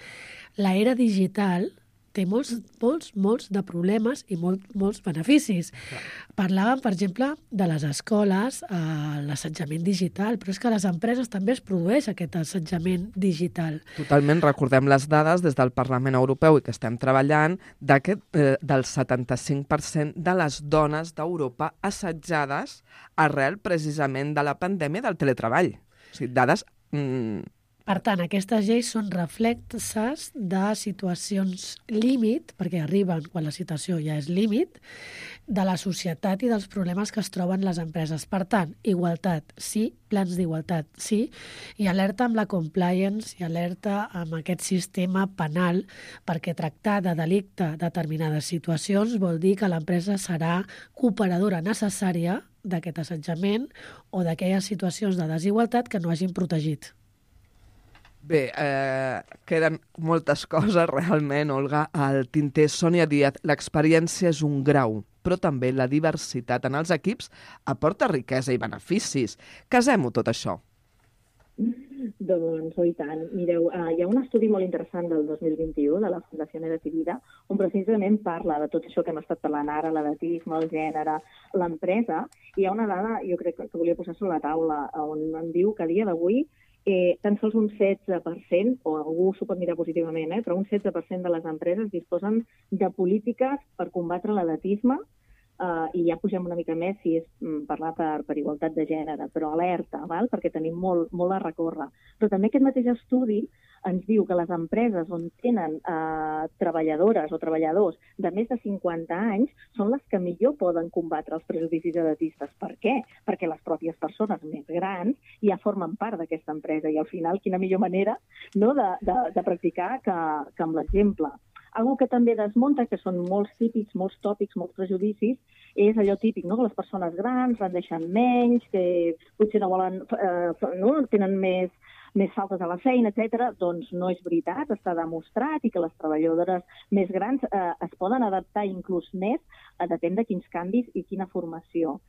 L'era digital té molts, molts, molts de problemes i molt, molts beneficis. Clar. Parlàvem, per exemple, de les escoles, eh, l'assetjament digital, però és que a les empreses també es produeix aquest assetjament digital. Totalment, recordem les dades des del Parlament Europeu i que estem treballant d'aquest eh, del setanta-cinc per cent de les dones d'Europa assetjades arrel precisament de la pandèmia del teletreball. O sigui, dades... Mm, Per tant, aquestes lleis són reflexes de situacions límit, perquè arriben quan la situació ja és límit, de la societat i dels problemes que es troben les empreses. Per tant, igualtat, sí, plans d'igualtat, sí, i alerta amb la compliance i alerta amb aquest sistema penal, perquè tractar de delicte determinades situacions vol dir que l'empresa serà cooperadora necessària d'aquest assetjament o d'aquelles situacions de desigualtat que no hagin protegit. Bé, eh, queden moltes coses realment, Olga. Al tinter, Sònia Díaz, l'experiència és un grau, però també la diversitat en els equips aporta riquesa i beneficis. Casem-ho tot això. Doncs, oh, i tant. Mireu, uh, hi ha un estudi molt interessant del dos mil vint-i-u de la Fundació Edetivida, on precisament parla de tot això que hem estat parlant ara, l'edatisme, el gènere, l'empresa, i hi ha una dada, jo crec que volia posar sobre la taula, on em diu que a dia d'avui Eh, tan sols un setze per cent, o algú s'ho pot mirar positivament, eh, però un setze per cent de les empreses disposen de polítiques per combatre l'edatisme, eh, i ja pugem una mica més si és mm, parlar per, per igualtat de gènere, però alerta, val? Perquè tenim molt, molt a recórrer. Però també aquest mateix estudi ens diu que les empreses on tenen eh, treballadores o treballadors de més de cinquanta anys són les que millor poden combatre els prejudicis edatistes. Per què? Perquè les pròpies persones més grans ja formen part d'aquesta empresa i al final quina millor manera, no, de, de, de practicar que, que amb l'exemple. Algo que també desmunta, que són molts típics, molts tòpics, molts prejudicis, és allò típic, no? Que les persones grans rendeixen menys, que potser no volen, eh, no? tenen més, més faltes a la feina, etcètera. Doncs no és veritat, està demostrat, i que les treballadores més grans eh, es poden adaptar inclús més, a depèn de quins canvis i quina formació.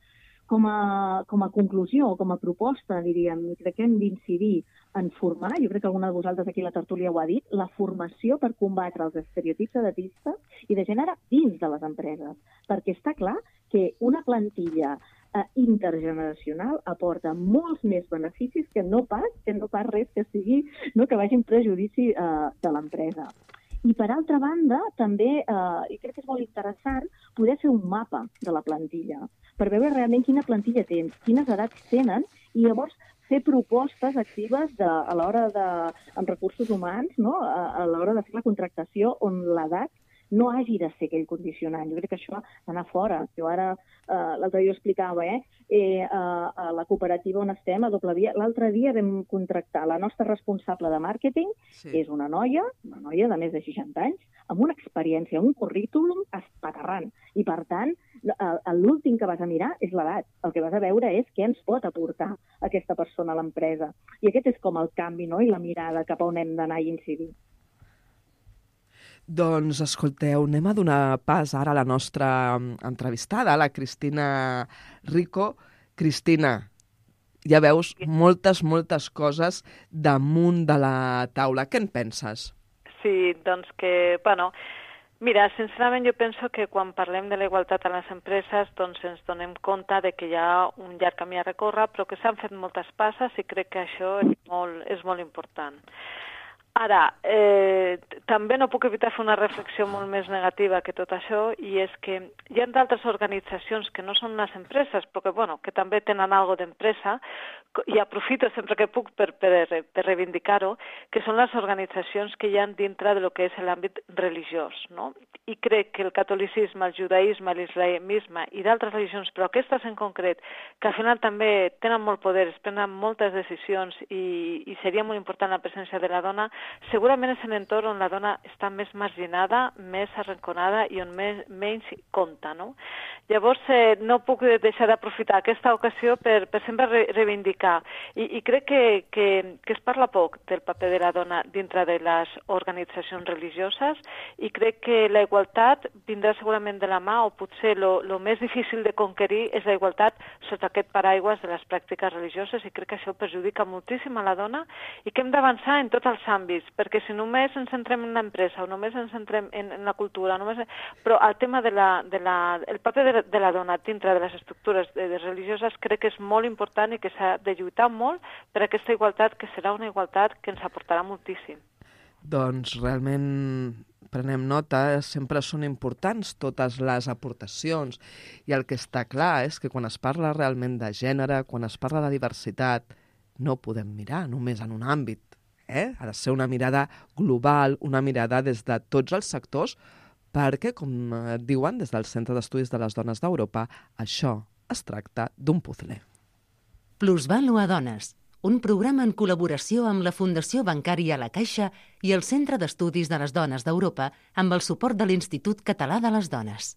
Com a, com a conclusió, com a proposta, diríem, crec que hem d'incidir en formar, jo crec que alguna de vosaltres aquí a la tertúlia ho ha dit, la formació per combatre els estereotips edatistes i de gènere dins de les empreses, perquè està clar que una plantilla eh, intergeneracional aporta molts més beneficis que no pas, que no pas res que sigui, no, que vagi en prejudici eh, de l'empresa. I, per altra banda, també, eh, i crec que és molt interessant, poder fer un mapa de la plantilla, per veure realment quina plantilla tens, quines edats tenen, i llavors fer propostes actives de, a l'hora de, amb recursos humans, no? a, a l'hora de fer la contractació on l'edat no hagi de ser aquell condicionant. Jo crec que això ha d'anar fora. Jo ara, eh, l'altre dia ho explicava, eh? Eh, a, a la cooperativa on estem, a Doble Via, l'altre dia vam contractar la nostra responsable de màrqueting, sí. És una noia, una noia de més de seixanta anys, amb una experiència, un currículum espaterrant. I, per tant, l'últim que vas a mirar és l'edat. El que vas a veure és què ens pot aportar aquesta persona a l'empresa. I aquest és com el canvi, no? I la mirada cap a on hem d'anar i incidir. Doncs, escolteu, anem a donar pas ara a la nostra entrevistada, la Cristina Rico. Cristina, ja veus moltes, moltes coses damunt de la taula. Què en penses? Sí, doncs que, bueno, mira, sincerament jo penso que quan parlem de la igualtat a les empreses doncs ens donem compte de que hi ha un llarg camí a recórrer, però que s'han fet moltes passes i crec que això és molt, és molt important. Ara, eh, també no puc evitar fer una reflexió molt més negativa que tot això, i és que hi ha d'altres organitzacions que no són les empreses, però que, bueno, que també tenen alguna cosa d'empresa, i aprofito sempre que puc per, per, per reivindicar-ho, que són les organitzacions que hi ha dintre de lo que és l'àmbit religiós, no? I crec que el catolicisme, el judaïsme, l'islamisme i d'altres religions, però aquestes en concret, que al final també tenen molt poder, es prenen moltes decisions i, i seria molt important la presència de la dona, segurament és un entorn on la dona està més marginada, més arrinconada i on més, menys compta, no? Llavors, eh, no puc deixar d'aprofitar aquesta ocasió per, per sempre re reivindicar. I, i crec que, que, que es parla poc del paper de la dona dintre de les organitzacions religioses, i crec que la igualtat vindrà segurament de la mà, o potser lo, lo més difícil de conquerir és la igualtat sota aquest paraigües de les pràctiques religioses, i crec que això perjudica moltíssim a la dona i que hem d'avançar en tots els àmbits, perquè si només ens centrem en l'empresa o només ens centrem en, en la cultura, només... però el tema de la, de la, el paper de, de la dona dintre de les estructures de, de religioses crec que és molt important i que s'ha de lluitar molt per aquesta igualtat, que serà una igualtat que ens aportarà moltíssim. Doncs realment prenem nota, sempre són importants totes les aportacions, i el que està clar és que quan es parla realment de gènere, quan es parla de diversitat, no podem mirar només en un àmbit. Eh? Ha de ser una mirada global, una mirada des de tots els sectors, perquè, com diuen des del Centre d'Estudis de les Dones d'Europa, això es tracta d'un puzle. Plusvàlua Dones, un programa en col·laboració amb la Fundació Bancària La Caixa i el Centre d'Estudis de les Dones d'Europa amb el suport de l'Institut Català de les Dones.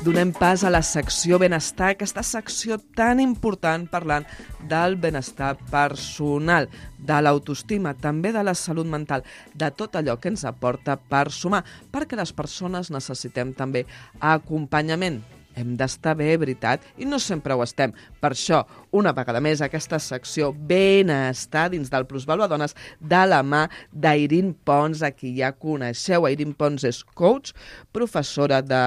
Donem pas a la secció benestar, aquesta secció tan important parlant del benestar personal, de l'autoestima, també de la salut mental, de tot allò que ens aporta per sumar, perquè les persones necessitem també acompanyament. Hem d'estar bé, veritat, i no sempre ho estem. Per això, una vegada més, aquesta secció benestar dins del Plusvàlua Dones de la mà d'Airín Pons, a qui ja coneixeu. Airín Pons és coach, professora de,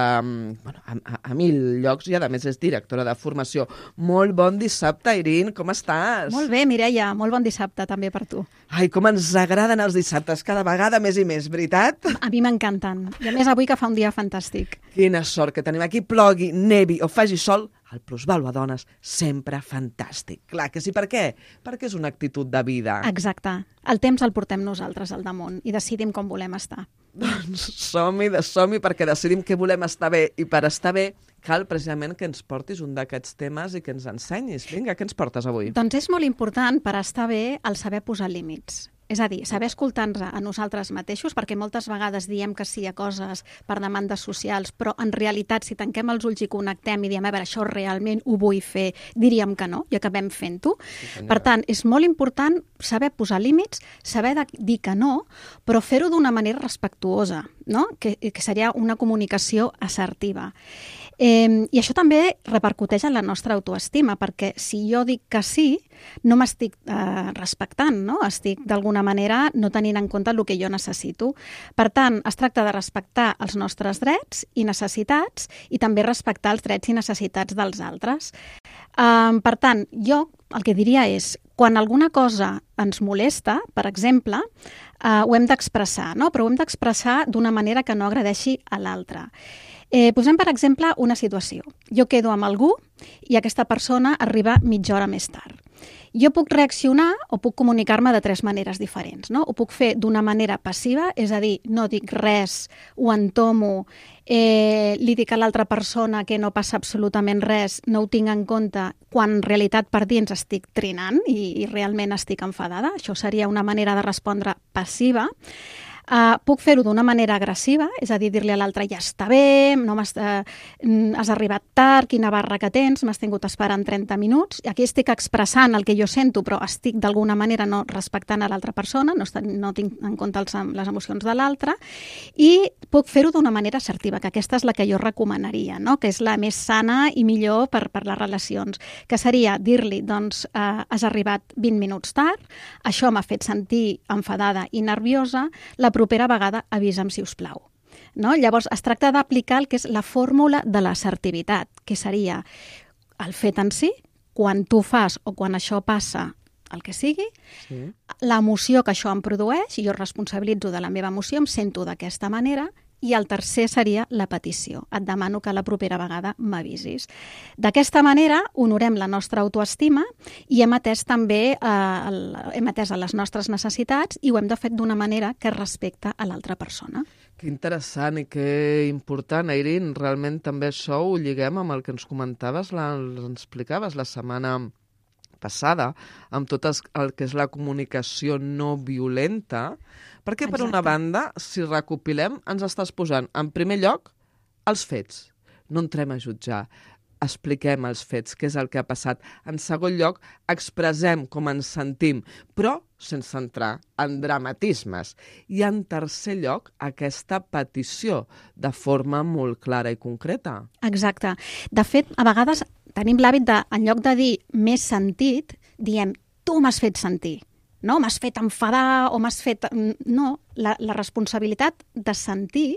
bueno, a, a, a mil llocs, i a més és directora de formació. Molt bon dissabte, Airín, com estàs? Molt bé, Mireia, molt bon dissabte també per tu. Ai, com ens agraden els dissabtes, cada vegada més i més, veritat? A mi m'encanten, i a més avui que fa un dia fantàstic. Quina sort que tenim aquí, plogui, nevi o faci sol, el Plusvàlua Dones sempre fantàstic. Clar que sí, per què? Perquè és una actitud de vida. Exacte. El temps el portem nosaltres al damunt i decidim com volem estar. Doncs som-hi, de som-hi, perquè decidim que volem estar bé, i per estar bé cal precisament que ens portis un d'aquests temes i que ens ensenyis. Vinga, què ens portes avui? Doncs és molt important per estar bé el saber posar límits. És a dir, saber escoltar-nos a nosaltres mateixos, perquè moltes vegades diem que sí a coses per demandes socials, però en realitat, si tanquem els ulls i connectem i diem, a veure, això realment ho vull fer, diríem que no, i acabem fent-ho. Sí, per tant, és molt important saber posar límits, saber dir que no, però fer-ho d'una manera respectuosa, no? que, que seria una comunicació assertiva. Eh, I això també repercuteix en la nostra autoestima, perquè si jo dic que sí, no m'estic eh, respectant, no? Estic d'alguna manera no tenint en compte el que jo necessito. Per tant, es tracta de respectar els nostres drets i necessitats i també respectar els drets i necessitats dels altres. Eh, per tant, jo el que diria és, quan alguna cosa ens molesta, per exemple, eh, ho hem d'expressar, no? Però ho hem d'expressar d'una manera que no agradeixi a l'altre. Eh, posem, per exemple, una situació. Jo quedo amb algú i aquesta persona arriba mitja hora més tard. Jo puc reaccionar o puc comunicar-me de tres maneres diferents, no? Ho puc fer d'una manera passiva, és a dir, no dic res, ho entomo, eh, li dic a l'altra persona que no passa absolutament res, no ho tinc en compte, quan en realitat per dins estic trinant i, i realment estic enfadada. Això seria una manera de respondre passiva. Uh, puc fer-ho d'una manera agressiva, és a dir, dir-li a l'altre, ja està bé, no m'has, uh, has arribat tard, quina barra que tens, m'has tingut esperant trenta minuts. Aquí estic expressant el que jo sento, però estic d'alguna manera no respectant a l'altra persona, no, estic, no tinc en compte els, les emocions de l'altre, i puc fer-ho d'una manera assertiva, que aquesta és la que jo recomanaria, no? Que és la més sana i millor per, per les relacions, que seria dir-li, doncs, uh, has arribat vint minuts tard, això m'ha fet sentir enfadada i nerviosa, la propera vegada avisa'm, si us plau. No? Llavors, es tracta d'aplicar el que és la fórmula de l'assertivitat, que seria el fet en si, quan tu fas o quan això passa, el que sigui, sí. L'emoció que això em produeix, i jo responsabilitzo de la meva emoció, em sento d'aquesta manera, i el tercer seria la petició. Et demano que la propera vegada m'avisis. D'aquesta manera honorem la nostra autoestima i hem atès també eh, el, hem atès a les nostres necessitats i ho hem de fer d'una manera que respecta a l'altra persona. Que interessant i que important, Airin. Realment també això ho lliguem amb el que ens comentaves, la, ens explicaves la setmana passada, amb tot el que és la comunicació no violenta, perquè per Exacte. Una banda, si recopilem, ens estàs posant en primer lloc els fets. No entrem a jutjar, expliquem els fets, què és el que ha passat. En segon lloc, expressem com ens sentim, però sense entrar en dramatismes. I en tercer lloc, aquesta petició de forma molt clara i concreta. Exacte. De fet, a vegades tenim l'hàbit de, en lloc de dir més sentit, diem, tu m'has fet sentir. No, m'has fet enfadar o m'has fet... No, la, la responsabilitat de sentir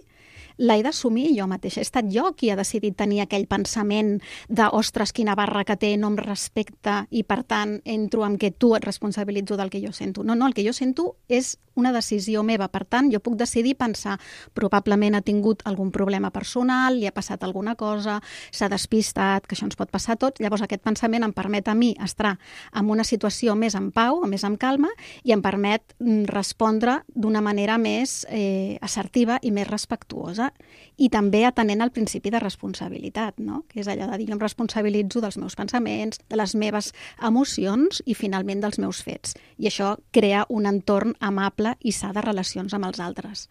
l'he d'assumir jo mateixa. He estat jo qui ha decidit tenir aquell pensament de, ostres, quina barra que té, no em respecta i, per tant, entro en què tu et responsabilitzo del que jo sento. No, no, el que jo sento és una decisió meva. Per tant, jo puc decidir pensar, probablement ha tingut algun problema personal, li ha passat alguna cosa, s'ha despistat, que això ens pot passar a tots. Llavors, aquest pensament em permet a mi estar en una situació més en pau, més en calma, i em permet respondre d'una manera més eh, assertiva i més respectuosa. I també atenent al principi de responsabilitat, no? Que és allò de dir, jo em responsabilitzo dels meus pensaments, de les meves emocions i finalment dels meus fets. I això crea un entorn amable i sa de relacions amb els altres.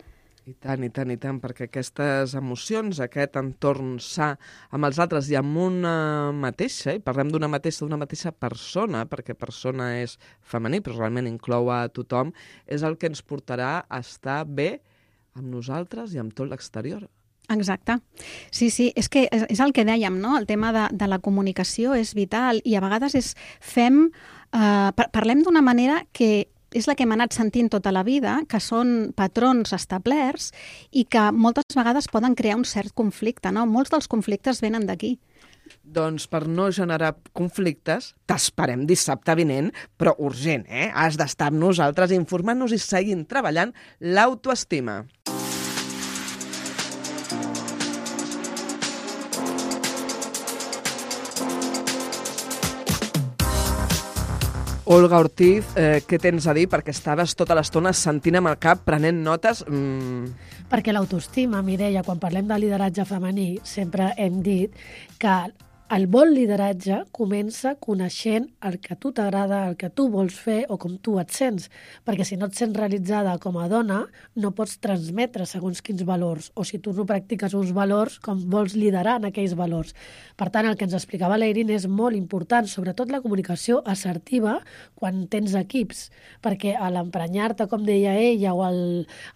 I tant, i tant, i tant, perquè aquestes emocions, aquest entorn sa amb els altres i amb una mateixa, i parlem d'una mateixa, d'una mateixa persona, perquè persona és femení, però realment inclou a tothom, és el que ens portarà a estar bé amb nosaltres i amb tot l'exterior. Exacte. Sí, sí, és que és el que dèiem, no? El tema de, de la comunicació és vital i a vegades és fem, eh, parlem d'una manera que és la que hem anat sentint tota la vida, que són patrons establerts i que moltes vegades poden crear un cert conflicte, no? Molts dels conflictes venen d'aquí. Doncs per no generar conflictes, t'esperem dissabte vinent, però urgent, eh? Has d'estar amb nosaltres informant-nos i seguint treballant l'autoestima. Olga Ortiz, eh, què tens a dir? Perquè estaves tota l'estona sentint amb el cap, prenent notes... Mm. Perquè l'autoestima, Mireia, quan parlem de lideratge femení, sempre hem dit que el bon lideratge comença coneixent el que a tu t'agrada, el que tu vols fer o com tu et sents, perquè si no et sents realitzada com a dona, no pots transmetre segons quins valors, o si tu no practiques uns valors, com vols liderar en aquells valors. Per tant, el que ens explicava l'Eirin és molt important, sobretot la comunicació assertiva quan tens equips, perquè a l'emprenyar-te, com deia ella, o el,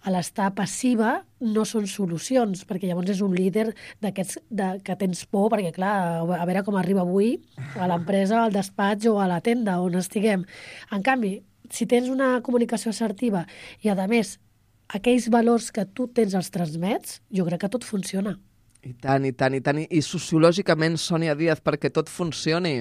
a l'estar passiva, no són solucions, perquè llavors és un líder d'aquests de, que tens por, perquè clar, a veure com arriba avui a l'empresa, al despatx o a la tenda on estiguem. En canvi, si tens una comunicació assertiva i, a més, aquells valors que tu tens els transmets, jo crec que tot funciona. I tant, i tant, i tant. I sociològicament, Sònia Díaz, perquè tot funcioni?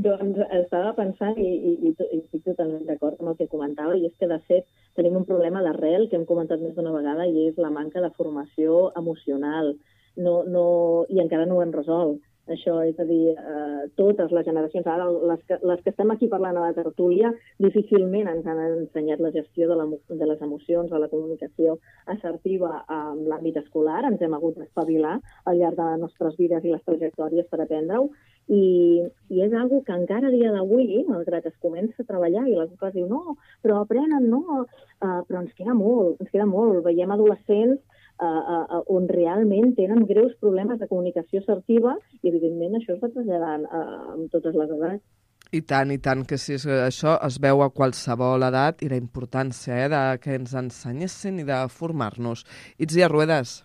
Doncs estava pensant i, i, i, i estic totalment d'acord amb el que comentava, i és que, de fet, tenim un problema d'arrel que hem comentat més d'una vegada, i és la manca de formació emocional. No, no, i encara no ho hem resolt. Això, és a dir, eh, totes les generacions, ara les que, les que estem aquí parlant a la tertúlia, difícilment ens han ensenyat la gestió de, la, de les emocions, de la comunicació assertiva en l'àmbit escolar. Ens hem hagut d'espavilar al llarg de les nostres vides i les trajectòries per aprendre-ho. I, i és una que encara a dia d'avui, malgrat es comença a treballar i les coses diu no, però aprenen, no, uh, però ens queda molt, ens queda molt. Veiem adolescents uh, uh, on realment tenen greus problemes de comunicació assertiva i, evidentment, això es va traslladant uh, amb totes les edats. I tant, i tant, que sí, això es veu a qualsevol edat i la importància eh, de que ens ensenyessin i de formar-nos. Itzia Ruedas.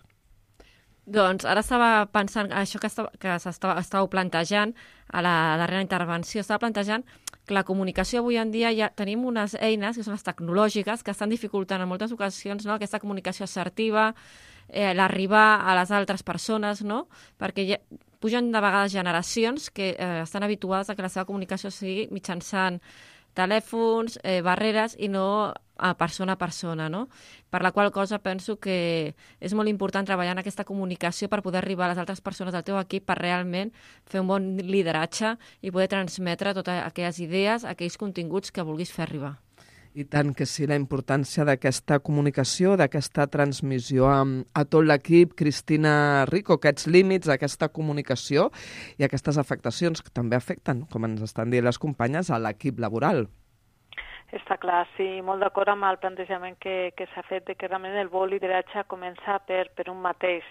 Doncs ara estava pensant, això que, estava, que estàveu plantejant a la darrera intervenció, estava plantejant que la comunicació avui en dia ja tenim unes eines, que són les tecnològiques, que estan dificultant en moltes ocasions, no?, aquesta comunicació assertiva, eh, l'arribar a les altres persones, no?, perquè ja pugen de vegades generacions que eh, estan habituades a que la seva comunicació sigui mitjançant telèfons, eh, barreres i no a persona a persona, no? Per la qual cosa penso que és molt important treballar en aquesta comunicació per poder arribar a les altres persones del teu equip per realment fer un bon lideratge i poder transmetre totes aquelles idees, aquells continguts que vulguis fer arribar. I tant que sí, la importància d'aquesta comunicació, d'aquesta transmissió a, a tot l'equip. Cristina Rico, aquests límits, aquesta comunicació i aquestes afectacions que també afecten, com ens estan dient les companyes, a l'equip laboral. Està clar, sí, molt d'acord amb el plantejament que, que s'ha fet de que realment el bon lideratge comença per, per un mateix.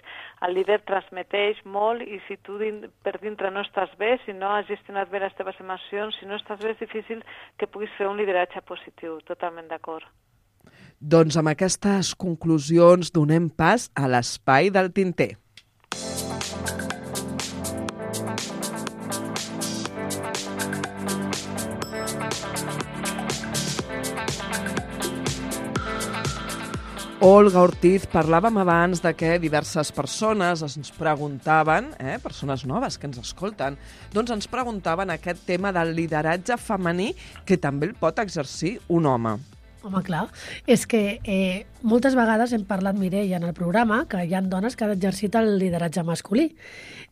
El líder transmeteix molt i si tu din, per dintre no estàs bé, si no has gestionat bé les teves emocions, si no estàs bé, és difícil que puguis fer un lideratge positiu. Totalment d'acord. Doncs amb aquestes conclusions donem pas a l'espai del tinter. Olga Ortiz, parlàvem abans de que diverses persones ens preguntaven, eh, persones noves que ens escolten, doncs ens preguntaven aquest tema del lideratge femení que també el pot exercir un home. Home, clar, és que eh, moltes vegades hem parlat, Mireia, en el programa, que hi ha dones que han exercit el lideratge masculí.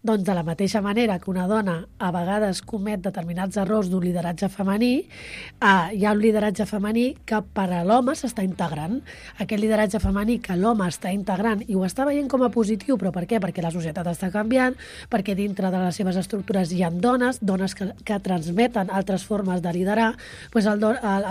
Doncs de la mateixa manera que una dona a vegades comet determinats errors d'un lideratge femení, eh, hi ha un lideratge femení que per a l'home s'està integrant. Aquest lideratge femení que l'home està integrant i ho està veient com a positiu, però per què? Perquè la societat està canviant, perquè dintre de les seves estructures hi ha dones, dones que, que transmeten altres formes de liderar, doncs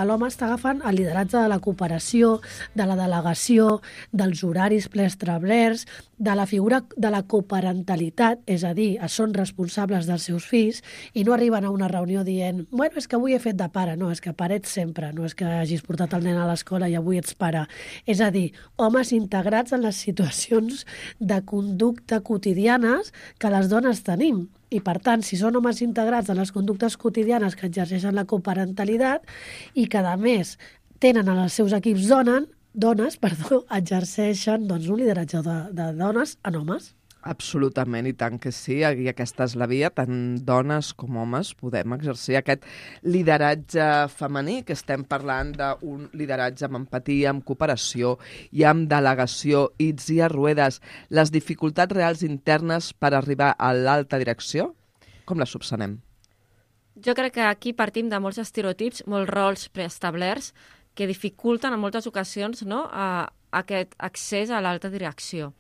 l'home està agafant el lideratge de la cooperació, de la delegació, dels horaris preestablerts, de la figura de la coparentalitat, és a dir, són responsables dels seus fills i no arriben a una reunió dient bueno, és que avui he fet de pare, no, és que pare ets sempre, no és que hagis portat el nen a l'escola i avui ets pare. És a dir, homes integrats en les situacions de conducta quotidianes que les dones tenim. I, per tant, si són homes integrats en les conductes quotidianes que exerceixen la coparentalitat i que, a més, tenen en els seus equips donen, dones, perdó, exerceixen doncs, un lideratge de, de dones en homes. Absolutament, i tant que sí, i aquesta és la via, tant dones com homes podem exercir aquest lideratge femení, que estem parlant d'un lideratge amb empatia, amb cooperació i amb delegació. Itzia Ruedas, les dificultats reals internes per arribar a l'alta direcció, com les subsanem? Jo crec que aquí partim de molts estereotips, molts rols preestablerts, que dificulten en moltes ocasions no, a, a aquest accés a l'alta direcció.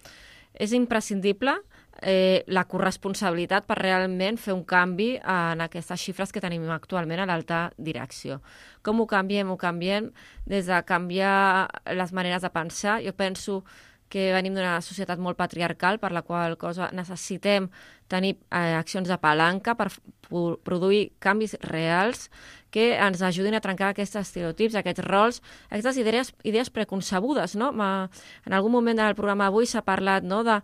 És imprescindible eh, la corresponsabilitat per realment fer un canvi en aquestes xifres que tenim actualment a l'alta direcció. Com ho canviem? Ho canviem des de canviar les maneres de pensar. Jo penso que venim d'una societat molt patriarcal, per la qual cosa necessitem tenir eh, accions de palanca per produir canvis reals que ens ajudin a trencar aquests estereotips, aquests rols, aquestes idees, idees preconcebudes. No? En algun moment del programa avui s'ha parlat, no, de,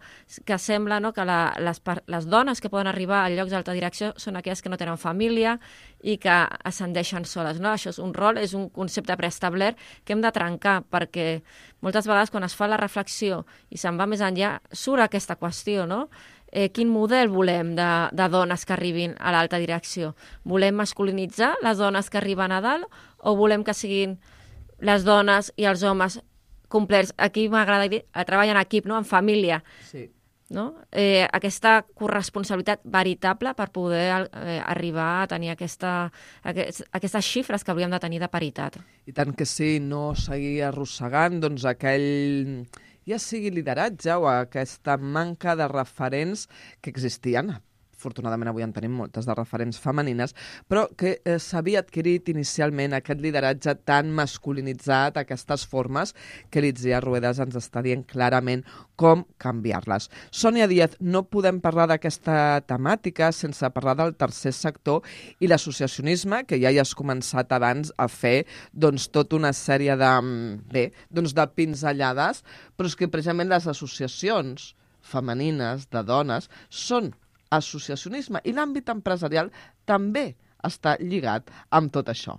que sembla, no, que la, les, les dones que poden arribar a llocs d'alta direcció són aquelles que no tenen família i que ascendeixen soles. No? Això és un rol, és un concepte preestablert que hem de trencar, perquè moltes vegades quan es fa la reflexió i se'n va més enllà, surt aquesta qüestió, no? Eh, quin model volem de, de dones que arribin a l'alta direcció? Volem masculinitzar les dones que arriben a dalt o volem que siguin les dones i els homes complets? Aquí m'agrada dir, treballar en equip, no? En família. Sí. No? Eh, aquesta corresponsabilitat veritable per poder eh, arribar a tenir aquesta, aquest, aquestes xifres que hauríem de tenir de paritat. I tant que sí, no seguir arrossegant doncs, aquell, ja sigui lideratge o aquesta manca de referents que existien. Afortunadament avui en tenim moltes de referents femenines, però que eh, s'havia adquirit inicialment aquest lideratge tan masculinitzat, aquestes formes, que l'Itziar Ruedas ens està dient clarament com canviar-les. Sònia Díaz, no podem parlar d'aquesta temàtica sense parlar del tercer sector i l'associacionisme, que ja hi has començat abans a fer doncs, tota una sèrie de, bé, doncs, de pinzellades, però és que precisament les associacions femenines de dones són associacionisme i l'àmbit empresarial també està lligat amb tot això.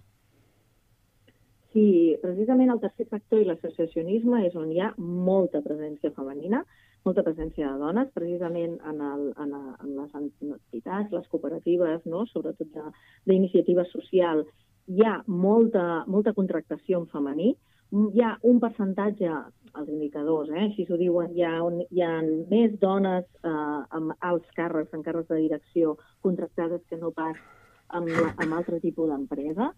Sí, precisament el tercer sector i l'associacionisme és on hi ha molta presència femenina, molta presència de dones, precisament en, el, en, a, en les entitats, les cooperatives, no? Sobretot d'iniciativa social, hi ha molta, molta contractació en femení, hi ha un percentatge, els indicadors, eh, així s'ho diuen, hi ha, un, hi ha més dones eh, amb alts càrrecs, en càrrecs de direcció contractades que no pas amb, amb altre tipus d'empresa.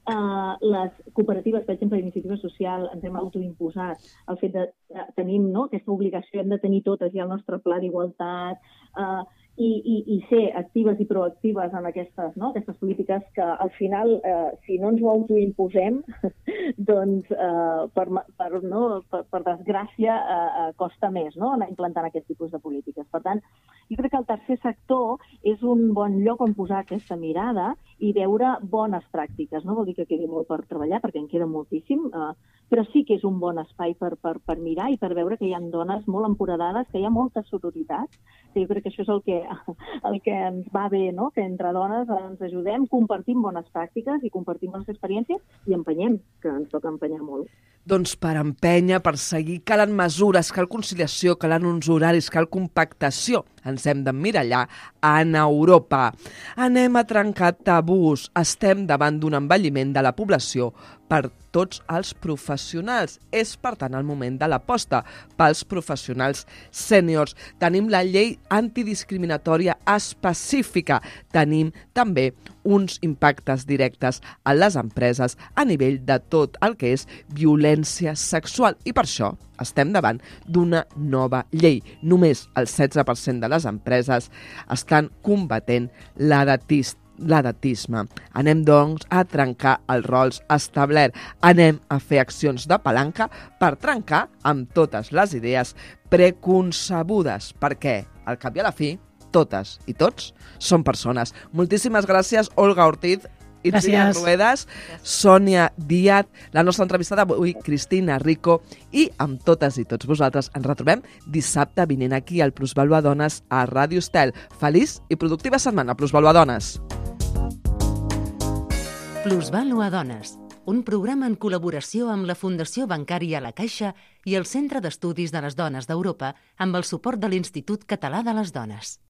Uh, les cooperatives, per exemple, d'iniciativa social, ens hem autoimposat el fet de, de tenim, no, aquesta obligació, hem de tenir totes ja el nostre pla d'igualtat, uh, i, i, i ser actives i proactives en aquestes, no, aquestes polítiques que al final, eh, si no ens ho autoimposem, doncs eh, per, per, no, per, per desgràcia eh, costa més, no, anar implantant aquest tipus de polítiques. Per tant, jo crec que el tercer sector és un bon lloc on posar aquesta mirada i veure bones pràctiques. No vol dir que quedi molt per treballar, perquè en queda moltíssim, eh, però sí que és un bon espai per, per, per mirar i per veure que hi ha dones molt empoderades, que hi ha molta sororitat, que jo crec que això és el que, el que ens va bé, no? Que entre dones ens ajudem, compartim bones pràctiques i compartim bones experiències i empenyem, que ens toca empenyar molt. Doncs per empènyer, per seguir, calen mesures, cal conciliació, calen uns horaris, cal compactació. Ens hem d'emmirallar en Europa. Anem a trencar tabús. Estem davant d'un envelliment de la població per tots els professionals. És, per tant, el moment de l'aposta pels professionals sèniors. Tenim la llei antidiscriminatòria específica. Tenim també uns impactes directes a les empreses a nivell de tot el que és violència sexual. I per això estem davant d'una nova llei. Només el setze per cent de les empreses estan combatent l'edatisme. l'edatisme. Anem, doncs, a trencar els rols establerts. Anem a fer accions de palanca per trencar amb totes les idees preconcebudes, perquè, al cap i a la fi, totes i tots són persones. Moltíssimes gràcies, Olga Ortiz, Itziar Ruedas, Sònia Díaz, la nostra entrevistada avui, Cristina Rico, i amb totes i tots vosaltres ens retrobem dissabte vinent aquí al Plusvàlua Dones a Ràdio Estel. Feliç i productiva setmana, Plusvàlua Dones. Plusvàlua Dones, un programa en col·laboració amb la Fundació Bancària La Caixa i el Centre d'Estudis de les Dones d'Europa amb el suport de l'Institut Català de les Dones.